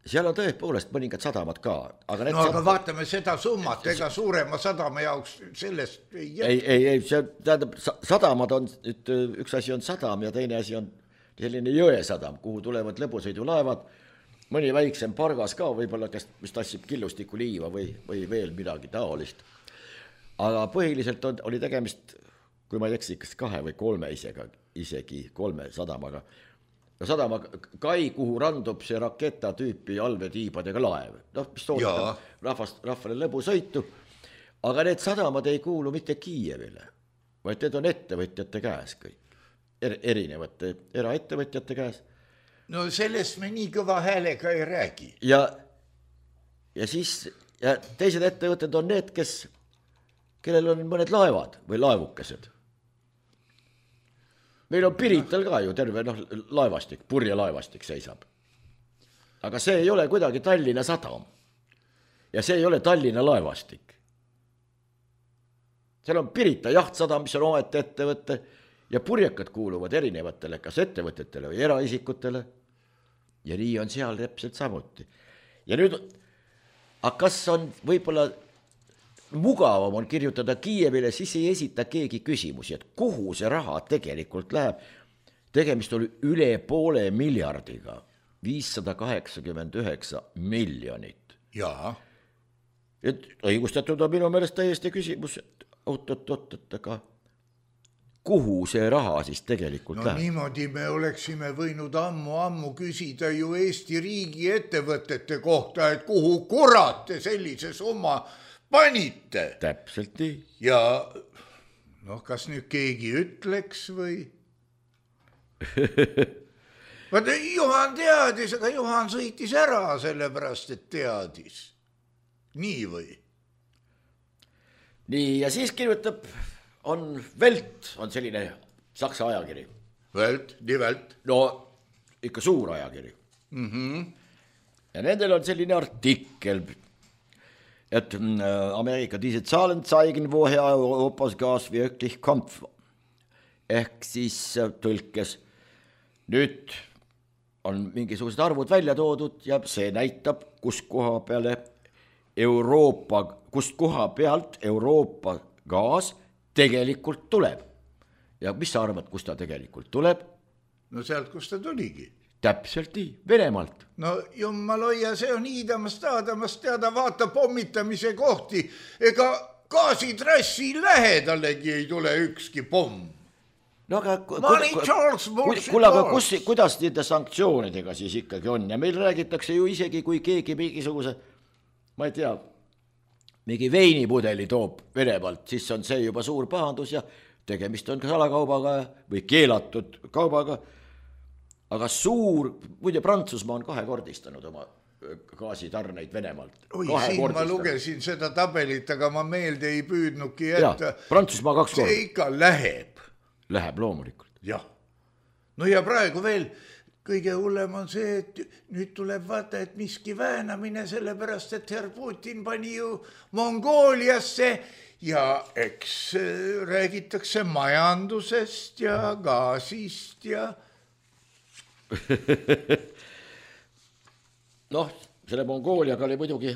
seal on tõepoolest mõningad sadamad ka. Aga no aga vaatame seda summat, ega suurema sadama jaoks sellest ei jätta. Ei, ei, ei, see tähendab, sadamad on, üks asi on sadam ja teine asi on selline jõesadam, kuhu tulevad lõbusõidulaevad, mõni väiksem pargas ka, võib-olla kes mis tassib killustiku liiva või, või veel midagi taolist. Aga põhiliselt on, oli tegemist, kui ma ei eksi, kas kahe või kolme isegi, isegi kolme sadamaga. Sadama kai, kuhu randub see raketa tüüpi allveetiibadega laev. Noh, mis toodab rahvast, rahvale lõbusõitu. Aga need sadamad ei kuulu mitte Kiievile, vaid need on ettevõtjate käes kõik. Er, erinevate eraettevõtjate käes. No sellest me nii kõva häälega ei räägi. Ja, ja siis ja teised ettevõtted on need, kes kellel on mõned laevad või laevukesed. Meil on Pirital ka ju terve noh, laevastik, purjelaevastik seisab. Aga see ei ole kuidagi Tallinna sadam. Ja see ei ole Tallinna laevastik. Seal on Pirita jahtsadam, mis on omaette ettevõtte ja purjekad kuuluvad erinevatele, kas ettevõtetele või eraisikutele. Ja nii on seal täpselt samuti. Ja nüüd, aga kas on võib-olla mugavam on kirjutada Kiievile, siis ei esita keegi küsimusi, et kuhu see raha tegelikult läheb. Tegemist oli üle poole miljardiga, viissada kaheksakümmend üheksa miljonit. Jaa. Et õigustatud on minu meelest täiesti küsimus, et oot-oot-oot, aga kuhu see raha siis tegelikult no, läheb? No niimoodi me oleksime võinud ammu-ammu küsida ju Eesti riigi ettevõtete kohta, et kuhu kurat te sellise summa panite. Täpselt nii. Ja noh, kas nüüd keegi ütleks või? Vaata, Juhan teadis, aga Juhan sõitis ära sellepärast, et teadis. Nii või? Nii, ja siis kirjutab, on Welt, on selline saksa ajakiri. Welt, die Welt. No, ikka suur ajakiri. Mm-hmm. Ja nendel on selline artikkel, et Amerika diese Zahlen zeigen, woher Europas Gas wirklich kommt. Ehk siis tõlkes. Nüüd on mingisugused arvud välja toodud ja see näitab, kus koha peale Euroopa, kust koha pealt Euroopa gaas tegelikult tuleb. Ja mis sa arvad, kus ta tegelikult tuleb? No sealt, kus ta tuligi. Täpselt nii, Venemaalt. No jummal hoia, see on hiidamast taadamast teada, vaata pommitamise kohti. Ega gaasitrassi lähedalegi ei tule ükski pomm. No aga Money Charles, bullshit kuule, aga kus, kuidas nende sanktsioonidega siis ikkagi on? Ja meil räägitakse ju isegi, kui keegi mingisuguse, ma ei tea, mingi veinipudeli toob Venemaalt, siis on see juba suur pahandus ja tegemist on salakaubaga või keelatud kaubaga. Aga suur, muide Prantsusmaa on kahekordistanud oma gaasitarneid Venemaalt. Oi, siin ma lugesin seda tabelit, aga ma meelde ei püüdnuki, et ja, Prantsusmaa kaks korda. See ikka läheb. Läheb loomulikult. Jah. No ja praegu veel kõige hullem on see, et nüüd tuleb vaata, et miski väänamine sellepärast, et herr Putin pani ju Mongooliasse ja eks räägitakse majandusest ja gaasist ja noh, selle Mongooliaga oli muidugi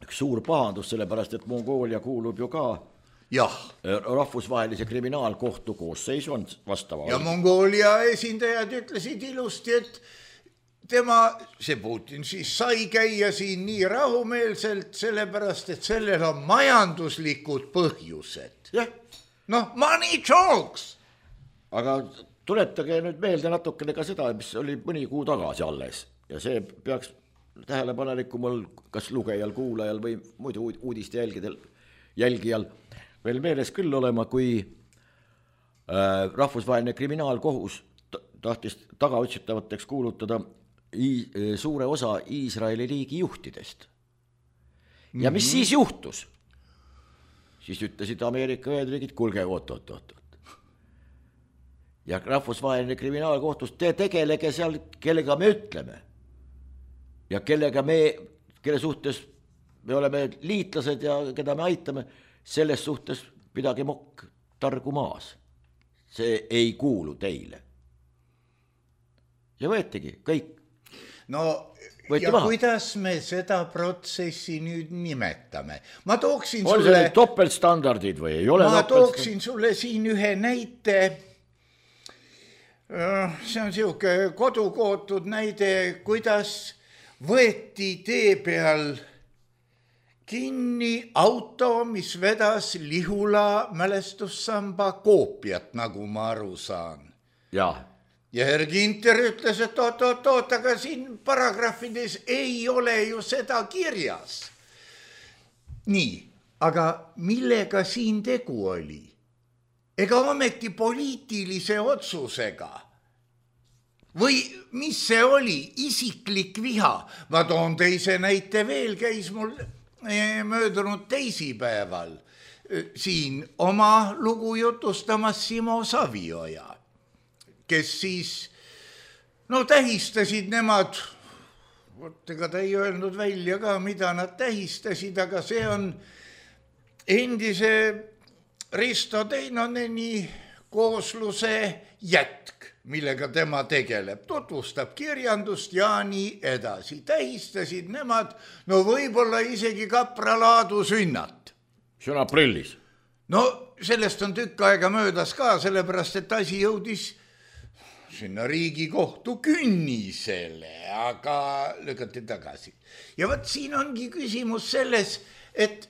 üks suur pahandus, sellepärast, et Mongoolia kuulub ju ka jah. rahvusvahelise kriminaalkohtu koosseisu on vastava. Ja Mongoolia esindajad ütlesid ilusti, et tema, see Putin siis sai käia siin nii rahumeelselt, sellepärast, et sellel on majanduslikud põhjused. Jah. Noh, money talks. Aga tuletage nüüd meelde natukene ka seda, mis oli mõni kuu tagasi alles. Ja see peaks tähelepanelikumal kas lugejal, kuulajal või muidu uudiste jälgidel, jälgijal veel meeles küll olema, kui äh, rahvusvaheline kriminaalkohus tahtis tagaotsitavateks kuulutada i- suure osa Iisraeli riigi juhtidest. Ja mis mm-hmm. siis juhtus? Siis ütlesid Ameerika Ühendriigid, kulge oot, oot, oot. Ja rahvusvaheline kriminaalkohtus, te tegelege seal, kellega me ütleme. Ja kellega me, kelle suhtes me oleme liitlased ja keda me aitame, selles suhtes pidage mokk targu maas. See ei kuulu teile. Ja võetigi kõik. No Võeti ja maha. Kuidas me seda protsessi nüüd nimetame? Ma tooksin on sulle... see topeltstandardid või ei ole? Ma tooksin sulle siin ühe näite. See on siuke kodukootud näide, kuidas võeti tee peal kinni auto, mis vedas Lihula mälestussamba koopiat, nagu ma aru saan. Ja. Ja herr Ginter ütles, et oot, oot, oot, aga siin paragrahvides ei ole ju seda kirjas. Nii, aga millega siin tegu oli? Ega ometi poliitilise otsusega. Või mis see oli? Isiklik viha. Ma toon teise näite veel, käis mul möödunud teisipäeval. siin oma lugu jutustamas Simo Savioja, kes siis, no tähistasid nemad, vot ega ta ei öelnud välja ka, mida nad tähistasid, aga see on endise Risto Teinoneni koosluse jätk, millega tema tegeleb, tutvustab kirjandust ja nii edasi. Tähistasid nemad, no võib-olla isegi kapralaadu sünnat. See on aprillis. No sellest on tükk aega möödas ka, sellepärast et asi jõudis sinna Riigikohtu künnisele, aga lükati tagasi. Ja võt siin ongi küsimus selles, et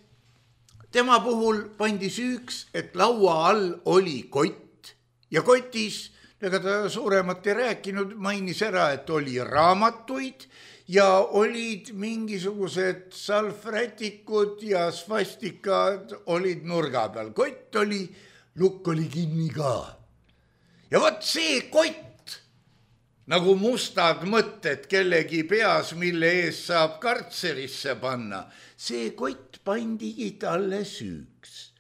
tema puhul pandi süüks, et laua all oli kott ja kotis, ega ta suuremat ei rääkinud, mainis ära, et oli raamatuid ja olid mingisugused salvrätikud ja svastikad olid nurga peal. Kott oli, lukk oli kinni ka. Ja vot see kott, nagu mustad mõtted kellegi peas, mille ees saab kartserisse panna, see kott pandigi talle süüks.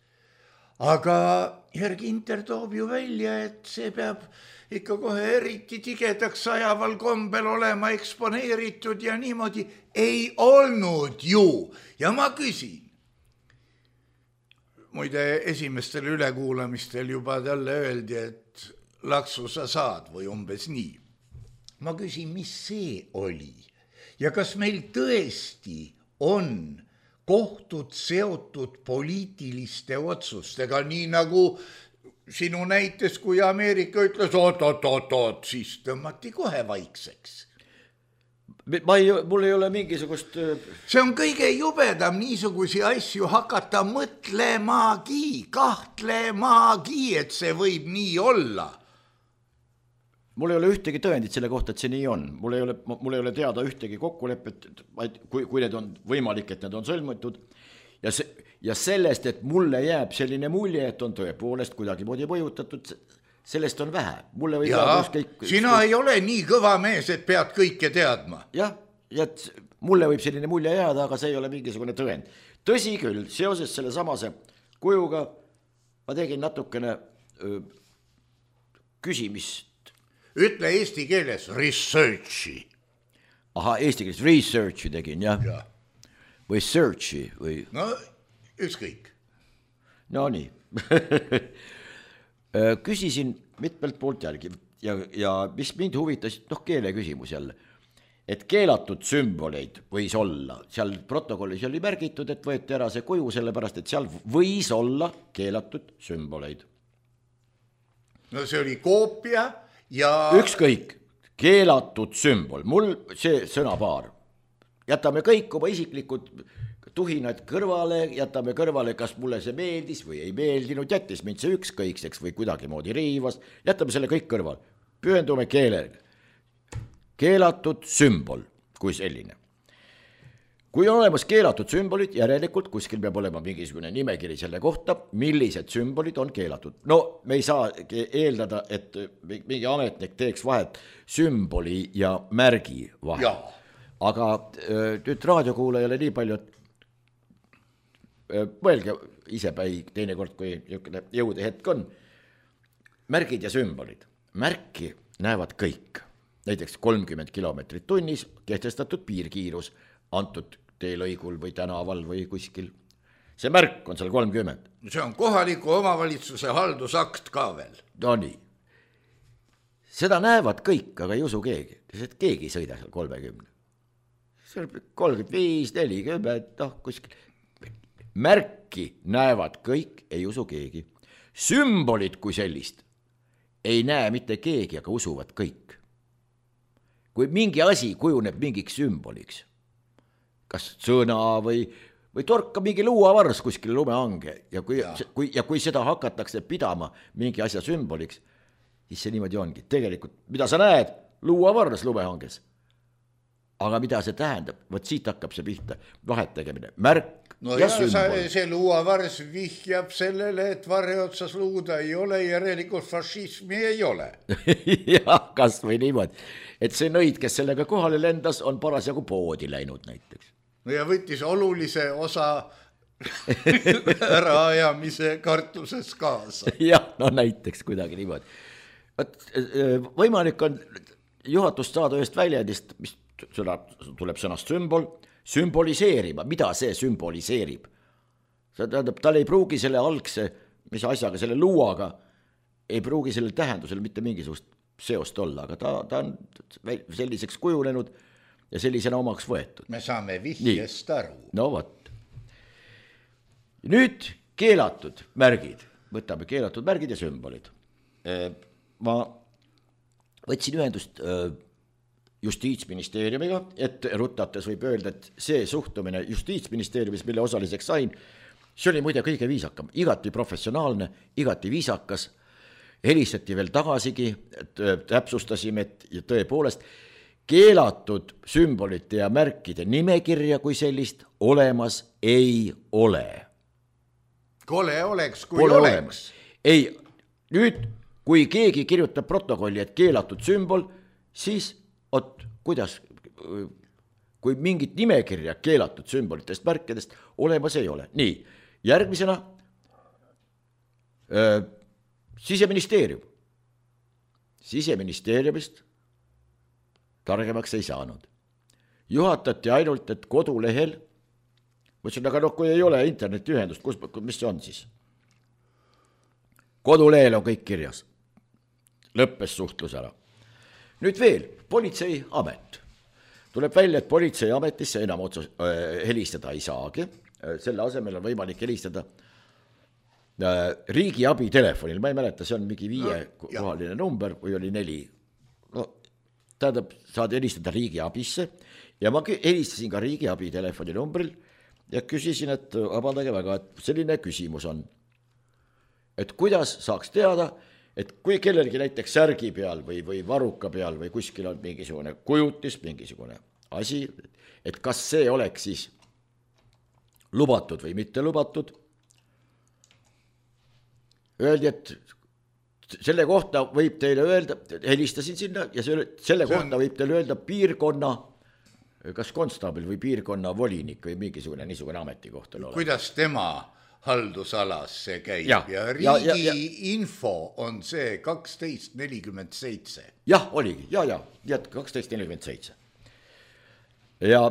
Aga Jörg Inter toob ju välja, et see peab ikka kohe eriti tigedaks ajaval kombel olema eksponeeritud ja niimoodi ei olnud ju. Ja ma küsin, muide esimestel ülekuulamistel juba talle öeldi, et laksu sa saad või umbes nii. Ma küsin, mis see oli ja kas meil tõesti on kohtud seotud poliitiliste otsustega, nii nagu sinu näites, kui Ameerika ütles oot, oot, oot, oot, siis tõmmati kohe vaikseks. Ma ei, mul ei ole mingisugust... See on kõige jubedam niisugusi asju hakata mõtlemagi, kahtlemagi, et see võib nii olla. Mul ei ole ühtegi tõendit selle kohta, et see nii on. Mul ei ole, mul ei ole teada ühtegi kokkulepet, kui, kui need on võimalik, et need on sõlmitud. Ja, se, ja sellest, et mulle jääb selline mulje, et on tõepoolest kuidagi moodi mõjutatud, sellest on vähe. Mulle või ja, kõik, sina ei ole nii kõva mees, et pead kõike teadma. Jah, ja mulle võib selline mulje jääda, aga see ei ole mingisugune tõend. Tõsi küll, seoses selle samase kujuga ma tegin natukene öö, küsimist. Ütle eesti keeles researchi. Aha, eesti keeles researchi tegin, jah. Ja. Või searchi või... No, ükskõik. No nii. Küsisin mitmelt poolt jälgi ja, ja mis mind huvitas, noh keele küsimus jälle, et keelatud sümboleid võis olla. Seal protokollis oli märgitud, et võeti ära see kuju sellepärast, et seal võis olla keelatud sümboleid. No see oli koopia ja... Ükskõik, keelatud sümbol, mul see sõnapaar. Jätame kõik oma isiklikud tuhinad kõrvale, jätame kõrvale, kas mulle see meeldis või ei meeldinud, jättis mind see ükskõikseks või kuidagi moodi riivas, jätame selle kõik kõrval. Pühendume keelele. Keelatud sümbol kui selline. Kui on olemas keelatud sümbolid, järelikult kuskil peab olema mingisugune nimekiri selle kohta, millised sümbolid on keelatud. No me ei saa eeldada, et mingi ametnik teeks vahet sümboli ja märgi vahel. Ja. Aga nüüd raadiokuulajale nii palju, et mõelge isepäi teinekord, kui jõude hetk on. Märgid ja sümbolid. Märki näevad kõik. Näiteks kolmkümmend kilomeetrit tunnis kehtestatud piirkiirus antud teelõigul või tänaval või kuskil. See märk on seal kolmkümmend. See on kohaliku omavalitsuse haldusakt ka veel. No nii. Seda näevad kõik, aga ei usu keegi. Sest keegi ei sõida seal kolmekümne. kolmkümmend viis, nelikümmend, noh kuskil. Märki näevad kõik, ei usu keegi. Sümbolid kui sellist ei näe mitte keegi, aga usuvad kõik. Kui mingi asi kujuneb mingiks sümboliks, kas sõna või, või torka mingi luuavars kuskil lumehange ja kui, ja. Kui, ja kui seda hakatakse pidama mingi asja sümboliks, siis see niimoodi ongi. Tegelikult, mida sa näed, luuavars lumehanges. Aga mida see tähendab? Võt siit hakkab see pihta vahet tegemine. Märk no ja ja sümbol. See luuavars vihjab sellele, et varre otsas luuda ei ole, järelikult fašismi ei ole. Jah, kas või niimoodi. Et see nõid, kes sellega kohale lendas, on parasjagu poodi läinud näiteks. No ja võttis olulise osa äraajamise kartuses kaasa. jah, no näiteks kuidagi niimoodi. Võimalik on juhatust saada ühest väljendist, mis sõna, tuleb sõnast sümbol, sümboliseerima, mida see sümboliseerib. See tähendab, tal ei pruugi selle algse, mis asjaga, selle luuaga, ei pruugi sellel tähendusel mitte mingisugust seost olla, aga ta, ta on selliseks kujunenud ja sellisena omaks võetud. Me saame vihjest aru. No vot. Nüüd keelatud märgid, võtame keelatud märgid ja sümbolid. Ma võtsin ühendust Justiitsministeeriumiga, et rutates võib öelda, et see suhtumine Justiitsministeeriumis, mille osaliseks sain, see oli muide kõige viisakam, igati professionaalne, igati viisakas, helistati veel tagasigi, täpsustasime, et tõepoolest keelatud sümbolite ja märkide nimekirja kui sellist olemas ei ole. Kole oleks, kui Pole oleks. Olemas. Ei, nüüd, kui keegi kirjutab protokolli, et keelatud sümbol, siis, ot, kuidas, kui mingit nimekirja keelatud sümbolitest, märkidest olemas ei ole. Nii, järgmisena äh, Siseministeerium. Siseministeeriumist targemaks ei saanud. Juhatati ainult, et kodulehel, mõtlesin, aga no kui ei ole internetiühendust, kus, mis see on siis? Kodulehel on kõik kirjas. Lõppes suhtlus ära. Nüüd veel, politseiamet. Tuleb välja, et politseiametisse enam otsus, äh, helistada ei saagi. Selle asemel on võimalik helistada äh, riigiabi telefonil. Ma ei mäleta, see on mingi viie no, kohaline number või oli neli. No, tähendab, saad helistada riigiabisse ja ma helistasin ka riigiabi telefoni numbril ja küsisin, et vabandage väga, et selline küsimus on, et kuidas saaks teada, et kui kellelgi näiteks särgi peal või, või varuka peal või kuskil on mingisugune kujutis, mingisugune asi, et kas see oleks siis lubatud või mitte lubatud. Öeldi, et selle kohta võib teile öelda, helistasin sinna ja selle, selle kohta on... võib teile öelda piirkonna kas konstaabil või piirkonna volinik või mingisugune niisugune ametikoht. Kuidas tema haldusalas see käib ja, ja riigi ja, ja, ja. info on see kaksteist nelikümmend seitse. Jah, oligi, ja, ja, ja kaksteist nelikümmend seitse. Ja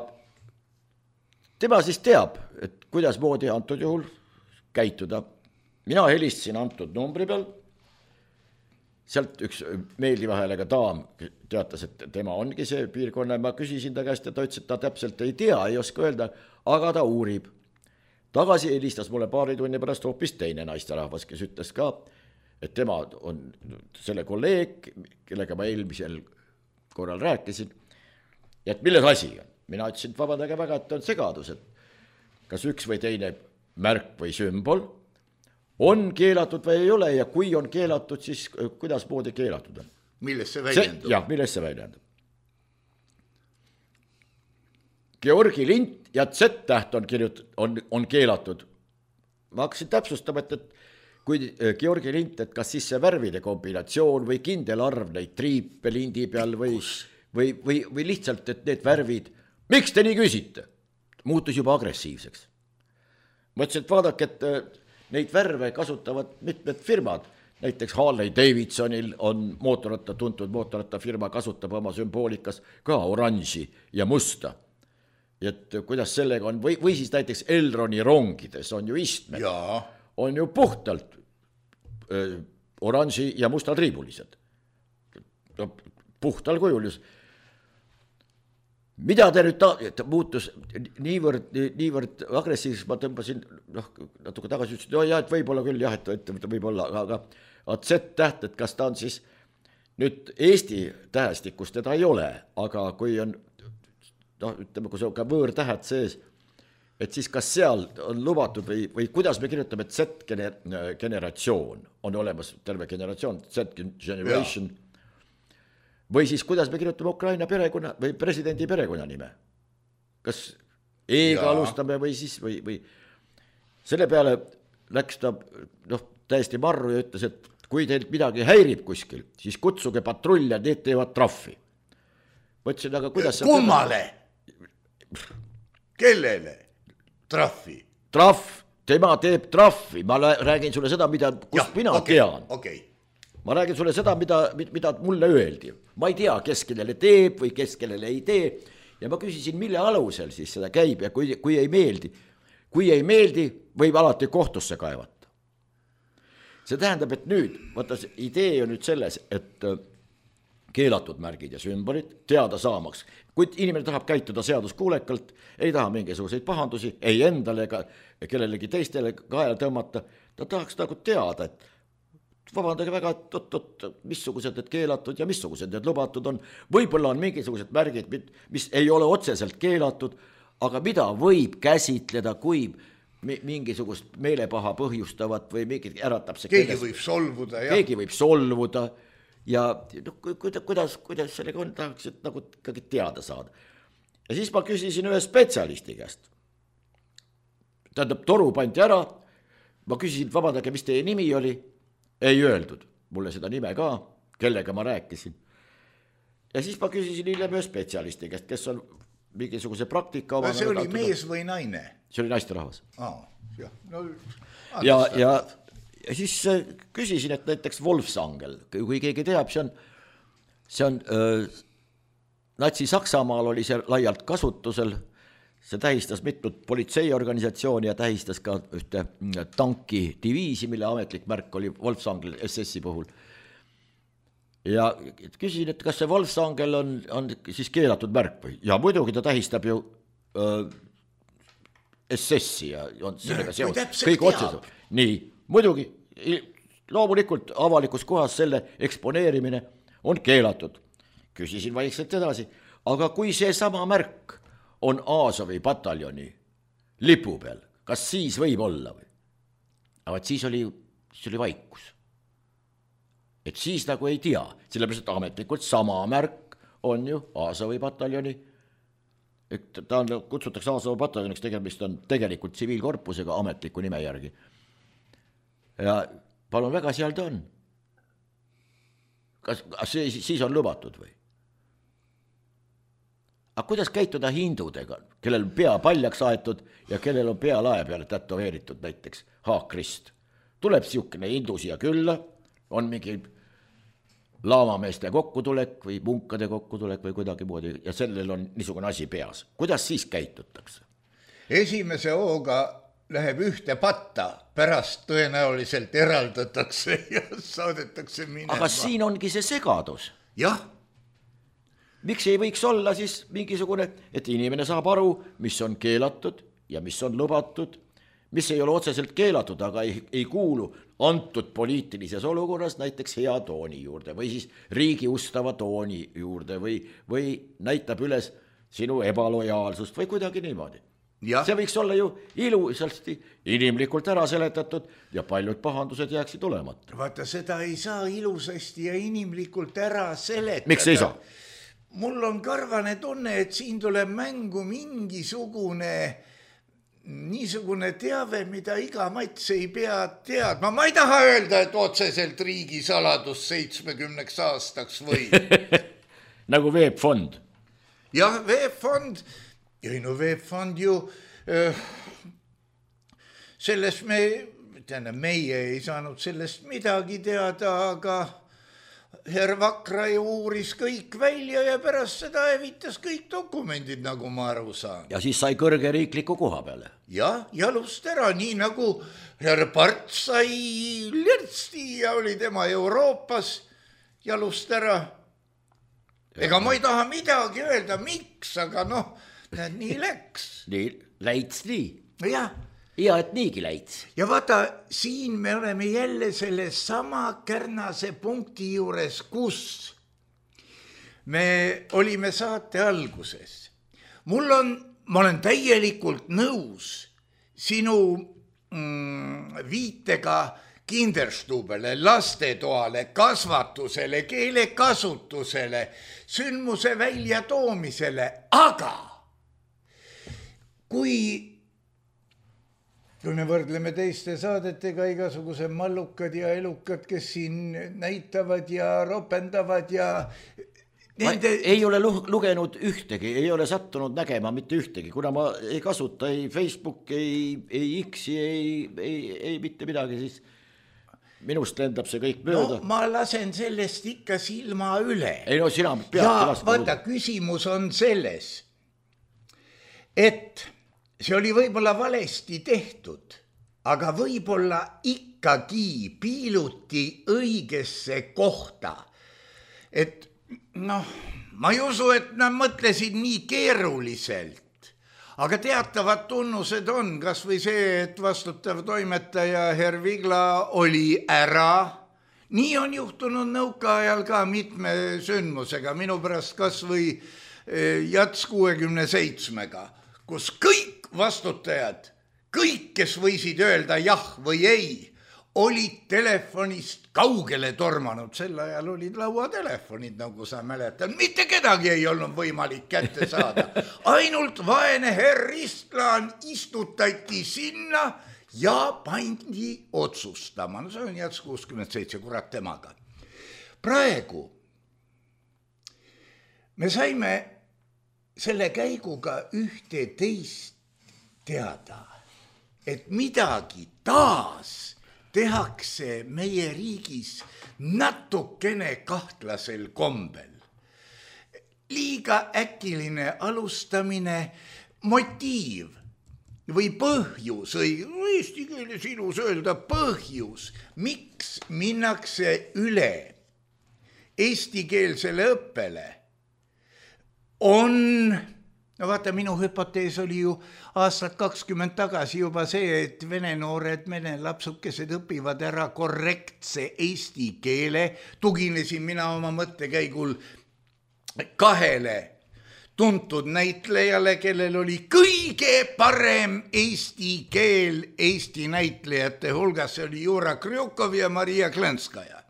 tema siis teab, et kuidas moodi antud juhul käituda. Mina helistasin antud numbri peal, sealt üks meeldiva häälega daam teatas, et tema ongi see piirkonna, ma küsisin ta käest ja ta ütles, et ta täpselt ei tea, ei oska öelda, aga ta uurib. Tagasi helistas mulle paari tunni pärast hoopis teine naisterahvas, kes ütles ka, et tema on selle kolleeg, kellega ma eelmisel korral rääkisin, ja et milles asi on. Mina ütlesin, et vabandage väga, et on segadus, et kas üks või teine märk või sümbol on keelatud või ei ole ja kui on keelatud, siis kuidas moodi keelatud on? Milles see väljendub? Jah, milles see väljendub? Georgi lint ja Z-täht on, kirjut, on, on keelatud. Ma hakkasin täpsustama, et, et kui Georgi lint, et kas siis see värvide kombinatsioon või kindel arv neid triipe lindi peal või, või, või, või lihtsalt, et need värvid, miks te nii küsite? Muutus juba agressiivseks. Mõtlesin, et vaadake, et neid värve kasutavad mitmed firmad, näiteks Harley Davidsonil on mootorratta, tuntud mootorratta firma kasutab oma sümboolikas ka oranži ja musta. Et kuidas sellega on, või, või siis näiteks Elroni rongides on ju istmed, ja. on ju puhtalt öö, oranži ja musta triibulised. No, puhtal kujul just. Mida te nüüd ta, ta muutus niivõrd, niivõrd agressiivs, ma tõmbasin noh, natuke tagasi, ütlesin, no jah, et võib-olla küll jah, et, et võib-olla, aga, aga Z-täht, et kas ta on siis nüüd Eesti tähestikus teda ei ole, aga kui on, noh, ütleme, kui see on ka võõrtähed sees, et siis kas seal on lubatud või, või kuidas me kirjutame, et Z-generatsioon on olemas, terve generatsioon, Z-generation, ja. Või siis kuidas me kirjutame Ukraina perekonna või presidendi perekonna nime. Kas E-ga alustame või siis või, või selle peale läks ta noh, täiesti marru ja ütles, et kui teilt midagi häirib kuskil, siis kutsuge patrull ja need teevad trahvi. Mõtlesin, aga kuidas kummale? Kellele trahvi? trahv, tema teeb trahvi, ma räägin sulle seda, mida, kust ja, mina okay, tean okay. Ma räägin sulle seda, mida, mida mulle öeldi. Ma ei tea, kes kellele teeb või kes kellele ei tee. Ja ma küsisin, mille alusel siis seda käib ja kui, kui ei meeldi. Kui ei meeldi, võib alati kohtusse kaevata. See tähendab, et nüüd, vaata, idee on nüüd selles, et keelatud märgid ja sümbolid teada saamaks. Kui inimene tahab käituda seaduskuulekalt, ei taha mingisuguseid pahandusi, ei endale ega kellelegi teistele kaela tõmmata, ta tahaks nagu teada, et vabandage väga, et oot, oot, missugused need keelatud ja missugused need lubatud on. Võib-olla on mingisugused märgid, mis ei ole otseselt keelatud, aga mida võib käsitleda, kui mingisugust meelepaha põhjustavat või mingit äratab see keegi kellest, võib solvuda. Ja. Keegi võib solvuda ja no, kuidas, kuidas sellega on, tahaks et nagu ikkagi teada saada. Ja siis ma küsisin ühe spetsialisti käest. Tähendab, toru pandi ära, ma küsisin, vabandage, mis teie nimi oli? Ei öeldud mulle seda nime ka, kellega ma rääkisin. Ja siis ma küsisin hiljem ühe spetsialisti käest, kes on mingisuguse praktika oma. See oli mees või naine? See oli naisterahvas. Ah, jah. No, ja, ja, ja siis küsisin, et näiteks Wolfsangel, kui keegi teab, see on, see on äh, Natsi-Saksamaal oli see laialt kasutusel. See tähistas mitut politseiorganisatsiooni ja tähistas ka ühte tanki diviisi, mille ametlik märk oli Wolfsangel S S-i puhul. Ja küsisin, et kas see Wolfsangel on, on siis keelatud märk või? Ja muidugi ta tähistab ju äh, S S-i ja on sellega seotud. Kõik otseselt. Nii, muidugi, loomulikult avalikus kohas selle eksponeerimine on keelatud. Küsisin vaikselt edasi, aga kui see sama märk on Aasovi pataljoni lipu peal, kas siis võib olla või? Aga siis oli, siis oli vaikus. Et siis nagu ei tea, sellepärast ametlikult sama märk on ju Aasovi pataljoni, et ta on, kutsutakse Aasovi pataljoniks, tegemist on tegelikult tsiviilkorpusega ametliku nime järgi. Ja palun väga, seal ta on. Kas, kas see, siis on lubatud või? Aga kuidas käituda hindudega, kellel on pea paljaks aetud ja kellel on pea lae peale tätoveeritud näiteks haakrist? Tuleb siukene hindu siia külla, on mingi laamameeste kokkutulek või munkade kokkutulek või kuidagi moodi ja sellel on niisugune asi peas. Kuidas siis käitutakse? Esimese hooga läheb ühte patta, pärast tõenäoliselt eraldatakse ja saadetakse minema. Aga siin ongi see segadus. Jah. Miks ei võiks olla siis mingisugune, et inimene saab aru, mis on keelatud ja mis on lubatud, mis ei ole otseselt keelatud, aga ei, ei kuulu antud poliitilises olukorras näiteks hea tooni juurde või siis riigi ustava tooni juurde või, või näitab üles sinu ebalojaalsust või kuidagi niimoodi. Ja. See võiks olla ju ilusasti inimlikult ära seletatud ja paljud pahandused jääksid olemata. Vaata, seda ei saa ilusasti ja inimlikult ära seletada. Miks ei saa? Mul on karvane tunne, et siin tuleb mängu mingisugune niisugune teave, mida iga mats ei pea teadma. Ma ei taha öelda, et otseselt riigi saladus seitsmekümneks aastaks või. Nagu veebfond. Jah, veebfond. Ei no veebfond ju, äh, sellest me, täna meie ei saanud sellest midagi teada, aga Herr Vakra ju uuris kõik välja ja pärast seda evitas kõik dokumendid, nagu ma aru saan. Ja siis sai kõrge riikliku koha peale. Ja, jalust ära, nii nagu Herr Part sai lirtsti ja oli tema Euroopas jalust ära. Ega ma ei taha midagi öelda, miks, aga noh, nii läks. Nii, läits nii. Jah. Ja, et niigi läits. Ja vaata, siin me oleme jälle selle sama kärnase punkti juures, kus me olime saate alguses. Mul on, ma olen täielikult nõus sinu mm, viitega Kinderstubele, lastetoale, kasvatusele, keelekasutusele, sündmuse väljatoomisele, aga kui kui me võrdleme teiste saadetega igasuguse mallukad ja elukad, kes siin näitavad ja ropendavad ja Nende... ei ole lugenud ühtegi, ei ole sattunud nägema mitte ühtegi, kuna ma ei kasuta ei Facebook, ei, ei X-i, ei, ei, ei mitte midagi, siis minust lendab see kõik mööda. No ma lasen sellest ikka silma üle. Ei no sina pead ja vaata, küsimus on selles, et see oli võib-olla valesti tehtud, aga võib-olla ikkagi piiluti õigesse kohta. Et noh, ma ei usu, et nad mõtlesid nii keeruliselt. Aga teatavad tunnused on, kas või see, et vastutav toimetaja Herr Vigla oli ära. Nii on juhtunud nõukaajal ka mitme sündmusega, minu pärast kas või Jats kuuekümne seitsmega, kus kõik vastutajad, kõik, kes võisid öelda jah või ei, olid telefonist kaugele tormanud. Sel ajal olid lauatelefonid, nagu sa mäletad. Mitte kedagi ei olnud võimalik kätte saada. Ainult vaene herr Istlan istutati sinna ja pandi otsustama. No see on Jats kuuskümmend seitse, kurat temaga. Praegu me saime selle käiguga ühte teist teada, et midagi taas tehakse meie riigis natukene kahtlasel kombel. Liiga äkiline alustamine, motiiv või põhjus, või eesti keeles ilus öelda põhjus, miks minnakse üle eestikeelsele õppele, on... No vaata, minu hüpotees oli ju aastat kakskümmend tagasi juba see, et vene noored, vene lapsukesed õpivad ära korrektse eesti keele. Tuginesin mina oma mõttekäigul kahele tuntud näitlejale, kellel oli kõige parem eesti keel eesti näitlejate hulgas. See oli Jura Krjukov ja Maria Klenskaja.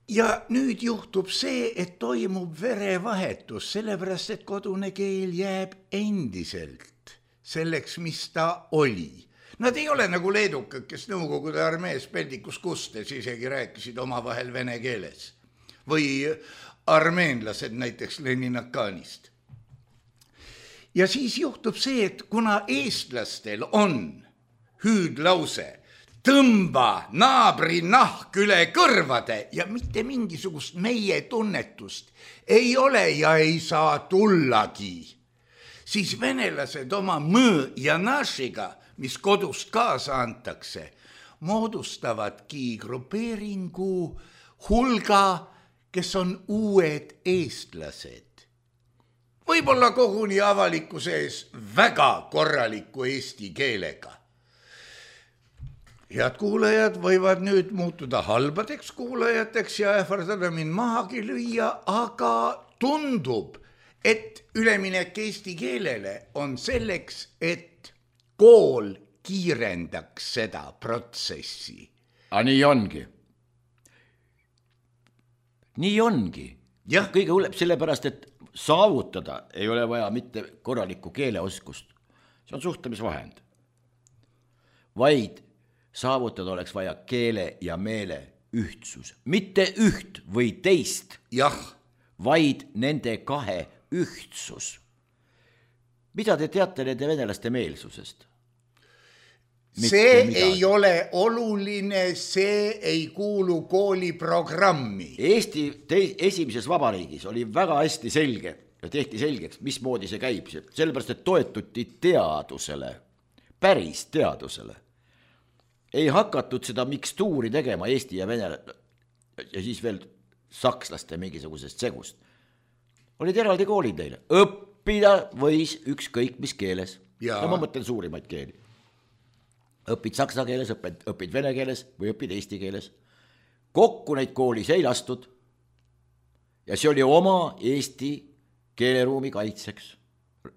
Ja nüüd juhtub see, et toimub verevahetus, sellepärast, et kodune keel jääb endiselt selleks, mis ta oli. Nad ei ole nagu leedukad, kes Nõukogude armees peldikus kustes isegi rääkisid omavahel vene keeles. Või armeenlased näiteks Leninakanist. Ja siis juhtub see, et kuna eestlastel on hüüdlause, tõmba naabri nahk üle kõrvade ja mitte mingisugust meie tunnetust ei ole ja ei saa tullagi, siis venelased oma mõõ ja našiga, mis kodust kaasa antakse, moodustavadki grupeeringu hulga, kes on uued eestlased. Võib-olla koguni avalikkuse ees väga korraliku eesti keelega. Head kuulajad võivad nüüd muutuda halbadeks kuulajateks ja ähvardada mind mahagi lüüa, aga tundub, et üleminek eesti keelele on selleks, et kool kiirendaks seda protsessi. A nii ongi. Nii ongi. Jah. Kõige hullem sellepärast, et saavutada ei ole vaja mitte korralikku keeleoskust. See on suhtlemisvahend. Vaid saavutada oleks vaja keele ja meele ühtsus. Mitte üht või teist, jah, vaid nende kahe ühtsus. Mida te teate nende venelaste meelsusest? Mitte see midagi. Ei ole oluline, see ei kuulu kooliprogrammi. Eesti te- esimeses vabariigis oli väga hästi selge ja tehti selgeks, mismoodi see käib. Sellepärast, et toetuti teadusele, päris teadusele. Ei hakatud seda mikstuuri tegema Eesti ja Vene ja siis veel sakslaste mingisugusest segust. Olid eraldi koolid neile. Õppida võis ükskõik mis keeles. Ja. Ja ma mõtlen suurimaid keeli. Õpid saksa keeles, õpid, õpid vene keeles või õpid eesti keeles. Kokku neid koolis ei lastud ja see oli oma Eesti keeleruumi kaitseks.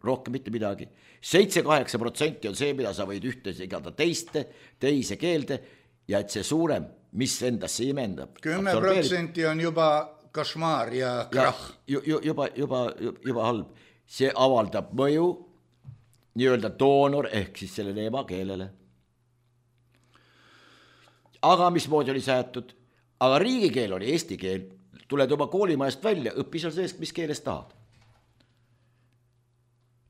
Rohkem mitte midagi. seitse kaheksa protsenti on see, mida sa võid ühte igada teiste, teise keelde ja et see suurem, mis endasse imendab. kümme protsenti on juba košmaar ja krahh. Ja, juba, juba, juba halb. See avaldab mõju nii-öelda doonor ehk siis sellele emakeelele. Aga mismoodi oli säätud? Aga riigikeel oli eesti keel. tuled oma koolimaest välja, õppi seal sees, mis keeles tahad.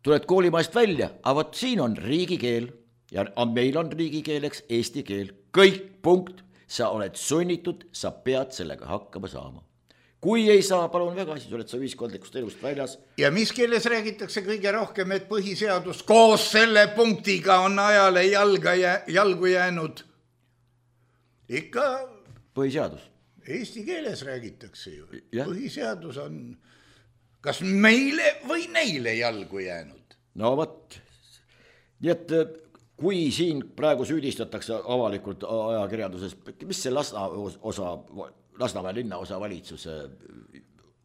Tuled koolimaest välja, aga võt siin on riigikeel ja meil on riigikeeleks eesti keel. Kõik punkt, sa oled sunnitud, sa pead sellega hakkama saama. Kui ei saa, palun väga, siis oled sa ühiskondlikust elust väljas. Ja mis keeles räägitakse kõige rohkem, et põhiseadus koos selle punktiga on ajale jalga jä, jalgu jäänud? Ikka põhiseadus. Eesti keeles räägitakse ju. Ja. Põhiseadus on kas meile või neile jalgu jäänud? No võt, nii et kui siin praegu süüdistatakse avalikult ajakirjanduses, mis see Lasna osa, Lasnamäe linna osa valitsuse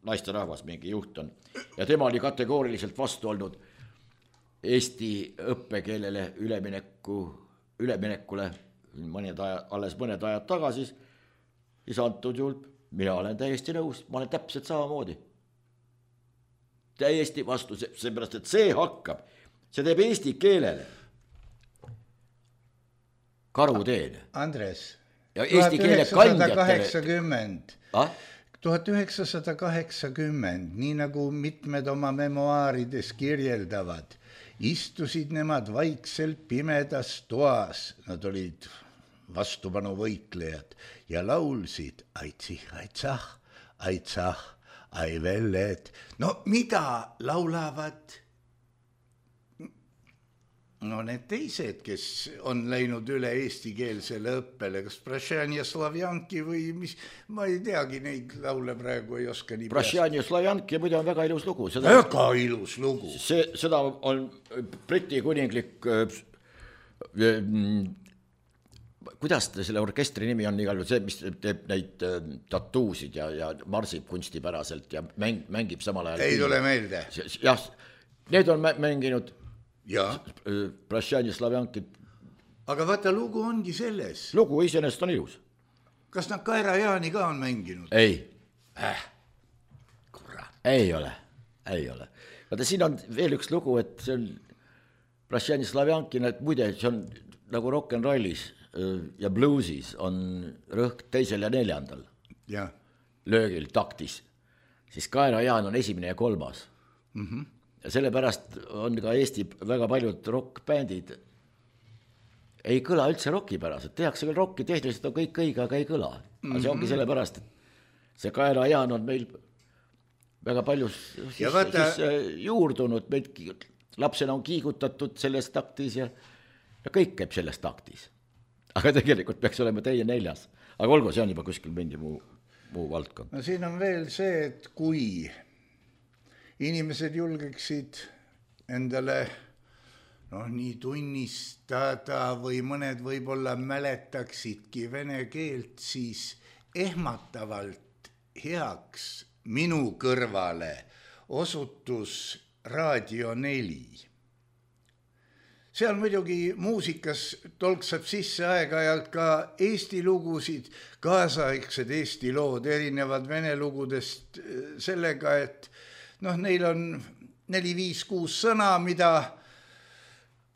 naisterahvas mingi juht on ja tema oli kategooriliselt vastu olnud Eesti õppekeelele ülemineku, üleminekule mõned aja, alles mõned ajad tagasi, siis antud juhul mina olen täiesti nõus, ma olen täpselt samamoodi. Täiesti vastu, seepärast, et see hakkab, see teeb eesti keelele karuteen. Andres, ja eesti keele kandjatele. Ah? tuhat üheksasada kaheksakümmend, nii nagu mitmed oma memoaarides kirjeldavad, istusid nemad vaikselt pimedas toas, nad olid vastupanu võitlejad ja laulsid aitsih, aitsah, aitsah, ai vellet. No mida laulavad? No need teised, kes on läinud üle eestikeelsele õppele, kas Prašjan ja Slavjanki või mis, ma ei teagi, neid laule praegu ei oska nii Prašjan ja Slavjanki muide on väga ilus lugu. Seda, väga ilus lugu. See, seda on Briti kuninglik, kuidas selle orkestri nimi on igal juhul, see, mis teeb neid tatuusid ja, ja marsib kunstipäraselt ja mäng, mängib samal ajal. Ei tule meelde. Jah, need on mänginud ja Prašjan ja Slavjankid. Aga vaata, lugu ongi selles. Lugu iseenesest on ilus. Kas nad Kaira Jaani ka on mänginud? Ei. Äh, kurat. Ei ole, ei ole. Vaata, siin on veel üks lugu, et see on Prašjan ja Slavjankin, et muide, see on nagu rock'n'rollis ja bluesis on rõhk teisel ja neljandal ja. Löögil, taktis. Siis Kaira Jaan on esimene ja kolmas. Mhm. Ja sellepärast on ka Eesti väga paljud rock-bändid ei kõla üldse rockipäraselt. Tehakse küll rocki, tehniliselt on kõik õige, aga ei kõla. Aga see ongi sellepärast, et see Kaira Jaan on meil väga palju siis, vaata, siis juurdunud. Meid lapsena on kiigutatud selles taktis ja, ja kõik käib selles taktis. Aga tegelikult peaks olema teie neljas. Aga olgu, see on juba kuskil mingi muu, muu valdkond. No siin on veel see, et kui inimesed julgeksid endale noh, nii tunnistada või mõned võib-olla mäletaksidki vene keelt, siis ehmatavalt heaks minu kõrvale osutus Raadio neli. Seal muidugi muusikas tolksab sisse aeg-ajalt ka Eesti lugusid, kaasaegsed Eesti lood, erinevad vene lugudest sellega, et noh, neil on neli, viis, kuus sõna, mida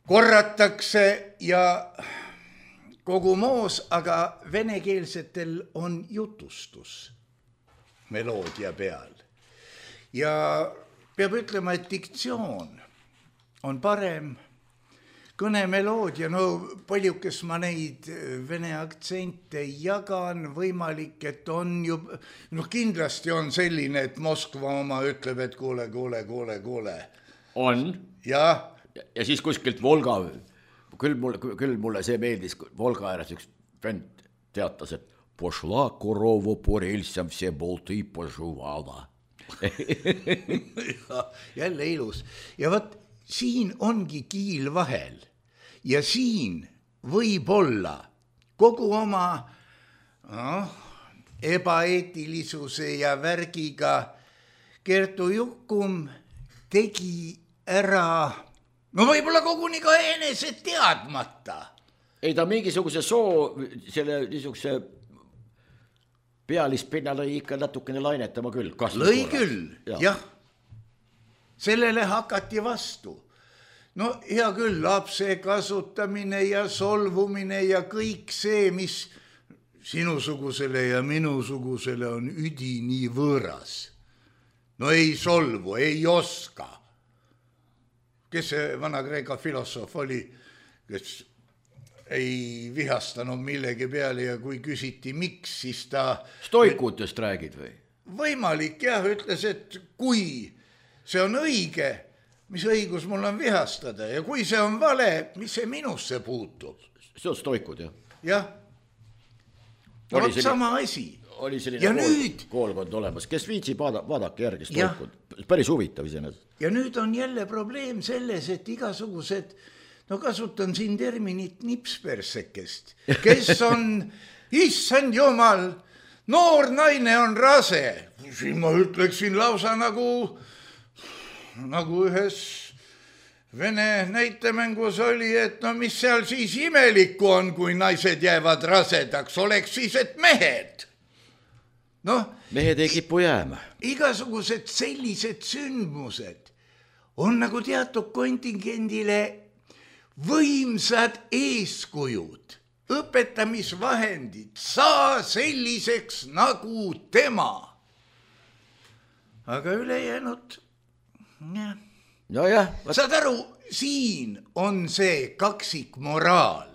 korratakse ja kogu moos, aga venekeelsetel on jutustus meloodia peal. Ja peab ütlema, et diktsioon on parem, kõnemeloodia, no paljukes ma neid vene aktsente jagan, võimalik, et on ju, noh kindlasti on selline, et Moskva oma ütleb, et kuule, kuule, kuule, kuule. On. Ja. Ja siis kuskilt Volga, küll mulle, küll mulle see meeldis, Volga ääres üks vend teatas, et pošla korovo po relsam see bolti požuvada. Jälle ilus. Ja võt, siin ongi kiil vahel. Ja siin võib olla kogu oma no, ebaeetilisuse ja värgiga Kertu Jukum tegi ära, no võib-olla koguni ka enese teadmata. Ei ta mingisuguse soo, selle niisuguse pealispinna lõi ikka natukene lainetama küll. Lõi küll, jah. jah. Sellele hakati vastu. No hea küll, lapse kasutamine ja solvumine ja kõik see, mis sinusugusele ja minusugusele on üdi nii võõras. No ei solvu, ei oska. Kes see Vana-Kreeka filosoof oli, kes ei vihastanud millegi peale ja kui küsiti miks, siis ta... Stoikutest räägid või? Võimalik jah, ütles, et kui see on õige, mis õigus mul on vihastada ja kui see on vale, mis see minusse puutub? See on stoikud, jah. Jah. No vot sama asi. Oli selline ja kool, nüüd... koolkond olemas, kes viitsib vaada, vaadake järgi stoikud. Päris huvitav iseenesest. Ja nüüd on jälle probleem selles, et igasugused, no kasutan siin terminit nipspersekest, kes on, issand jumal, noor naine on rase. Siin ma ütleksin lausa nagu... nagu ühes vene näitemängus oli, et no mis seal siis imelikku on, kui naised jäävad rasedaks, oleks siis, et mehed. No, mehed ei kipu jääma. Igasugused sellised sündmused on nagu teatud kontingendile võimsad eeskujud, õpetamisvahendid, saa selliseks nagu tema. Aga ülejäänud... Ja. No jah, saad aru, siin on see kaksik moraal.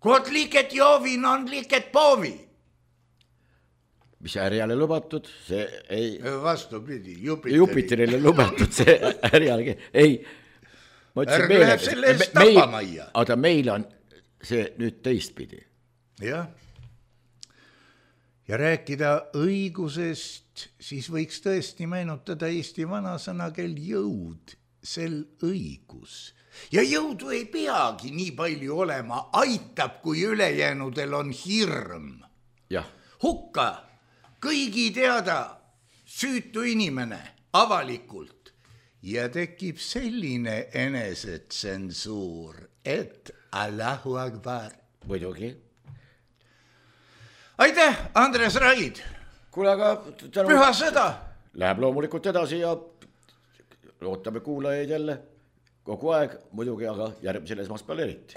Kod liiket joovin on liiket poovi. Mis äriale lubatud, see ei... Vastupidi, Jupiteri. Jupiterile lubatud see äriale. Ei, ma ütlesin meile... Läheb selle eest tapamaia. Aga meil on see nüüd teistpidi. Jah. Ja rääkida õigusest, siis võiks tõesti meenutada Eesti vanasõna, kel jõud, sel õigus. Ja jõudu ei peagi nii palju olema, aitab, kui ülejäänudel on hirm. Jah. Hukka, kõigi teada süütu inimene avalikult ja tekib selline enesetsensuur, et Allahu Akbar. Muidugi. Aitäh, Andres Raid. Kuule, aga... Tänu... Püha sõda. Läheb loomulikult edasi ja ootame kuulajaid jälle kogu aeg, muidugi, aga järgmisel esmaspäeval eriti.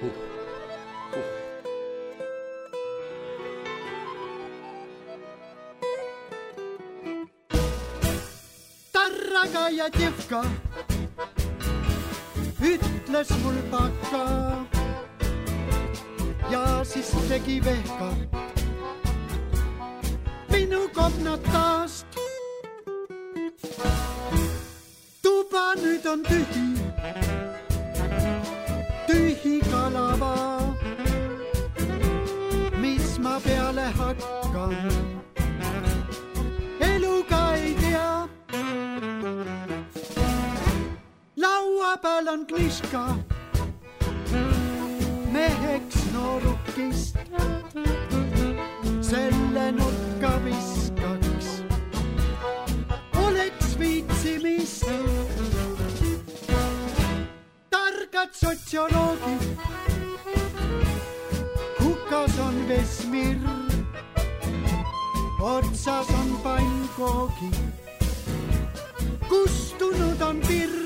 Huh. Huh. Tarraga ja tjevka ütles mul paka. Ja siis tegi vehka minu komnatast. Tuba nüüd on tühi, tühi kalava. Mis ma peale hakkan, eluga ei tea. Laua peal on kniška, meheks noorukist, selle nurka viskaks, oleks viitsimist. Targad sotsioloogid, hukas on Vesmir, otsas on pannkoogi, kustunud on pirn.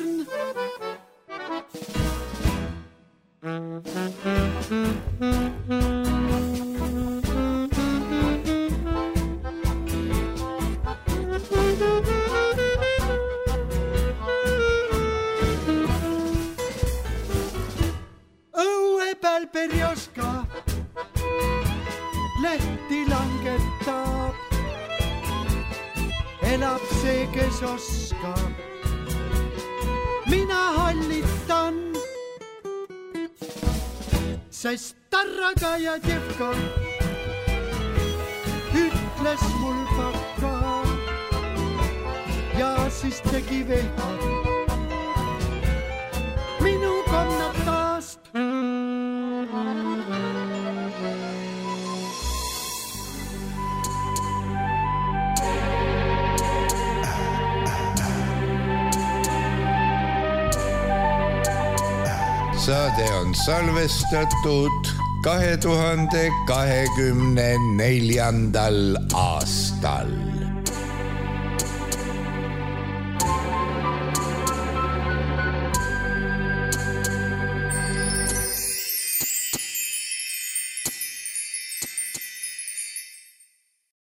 Õue peal perjoska lehti langetab, elab see, kes oskab. Mina hallitan, sest Tarraga ja tjevka ütles mul paka ja siis tegi vehka minu komnatast. Saade on salvestatud kahe tuhande kahekümne neljandal aastal.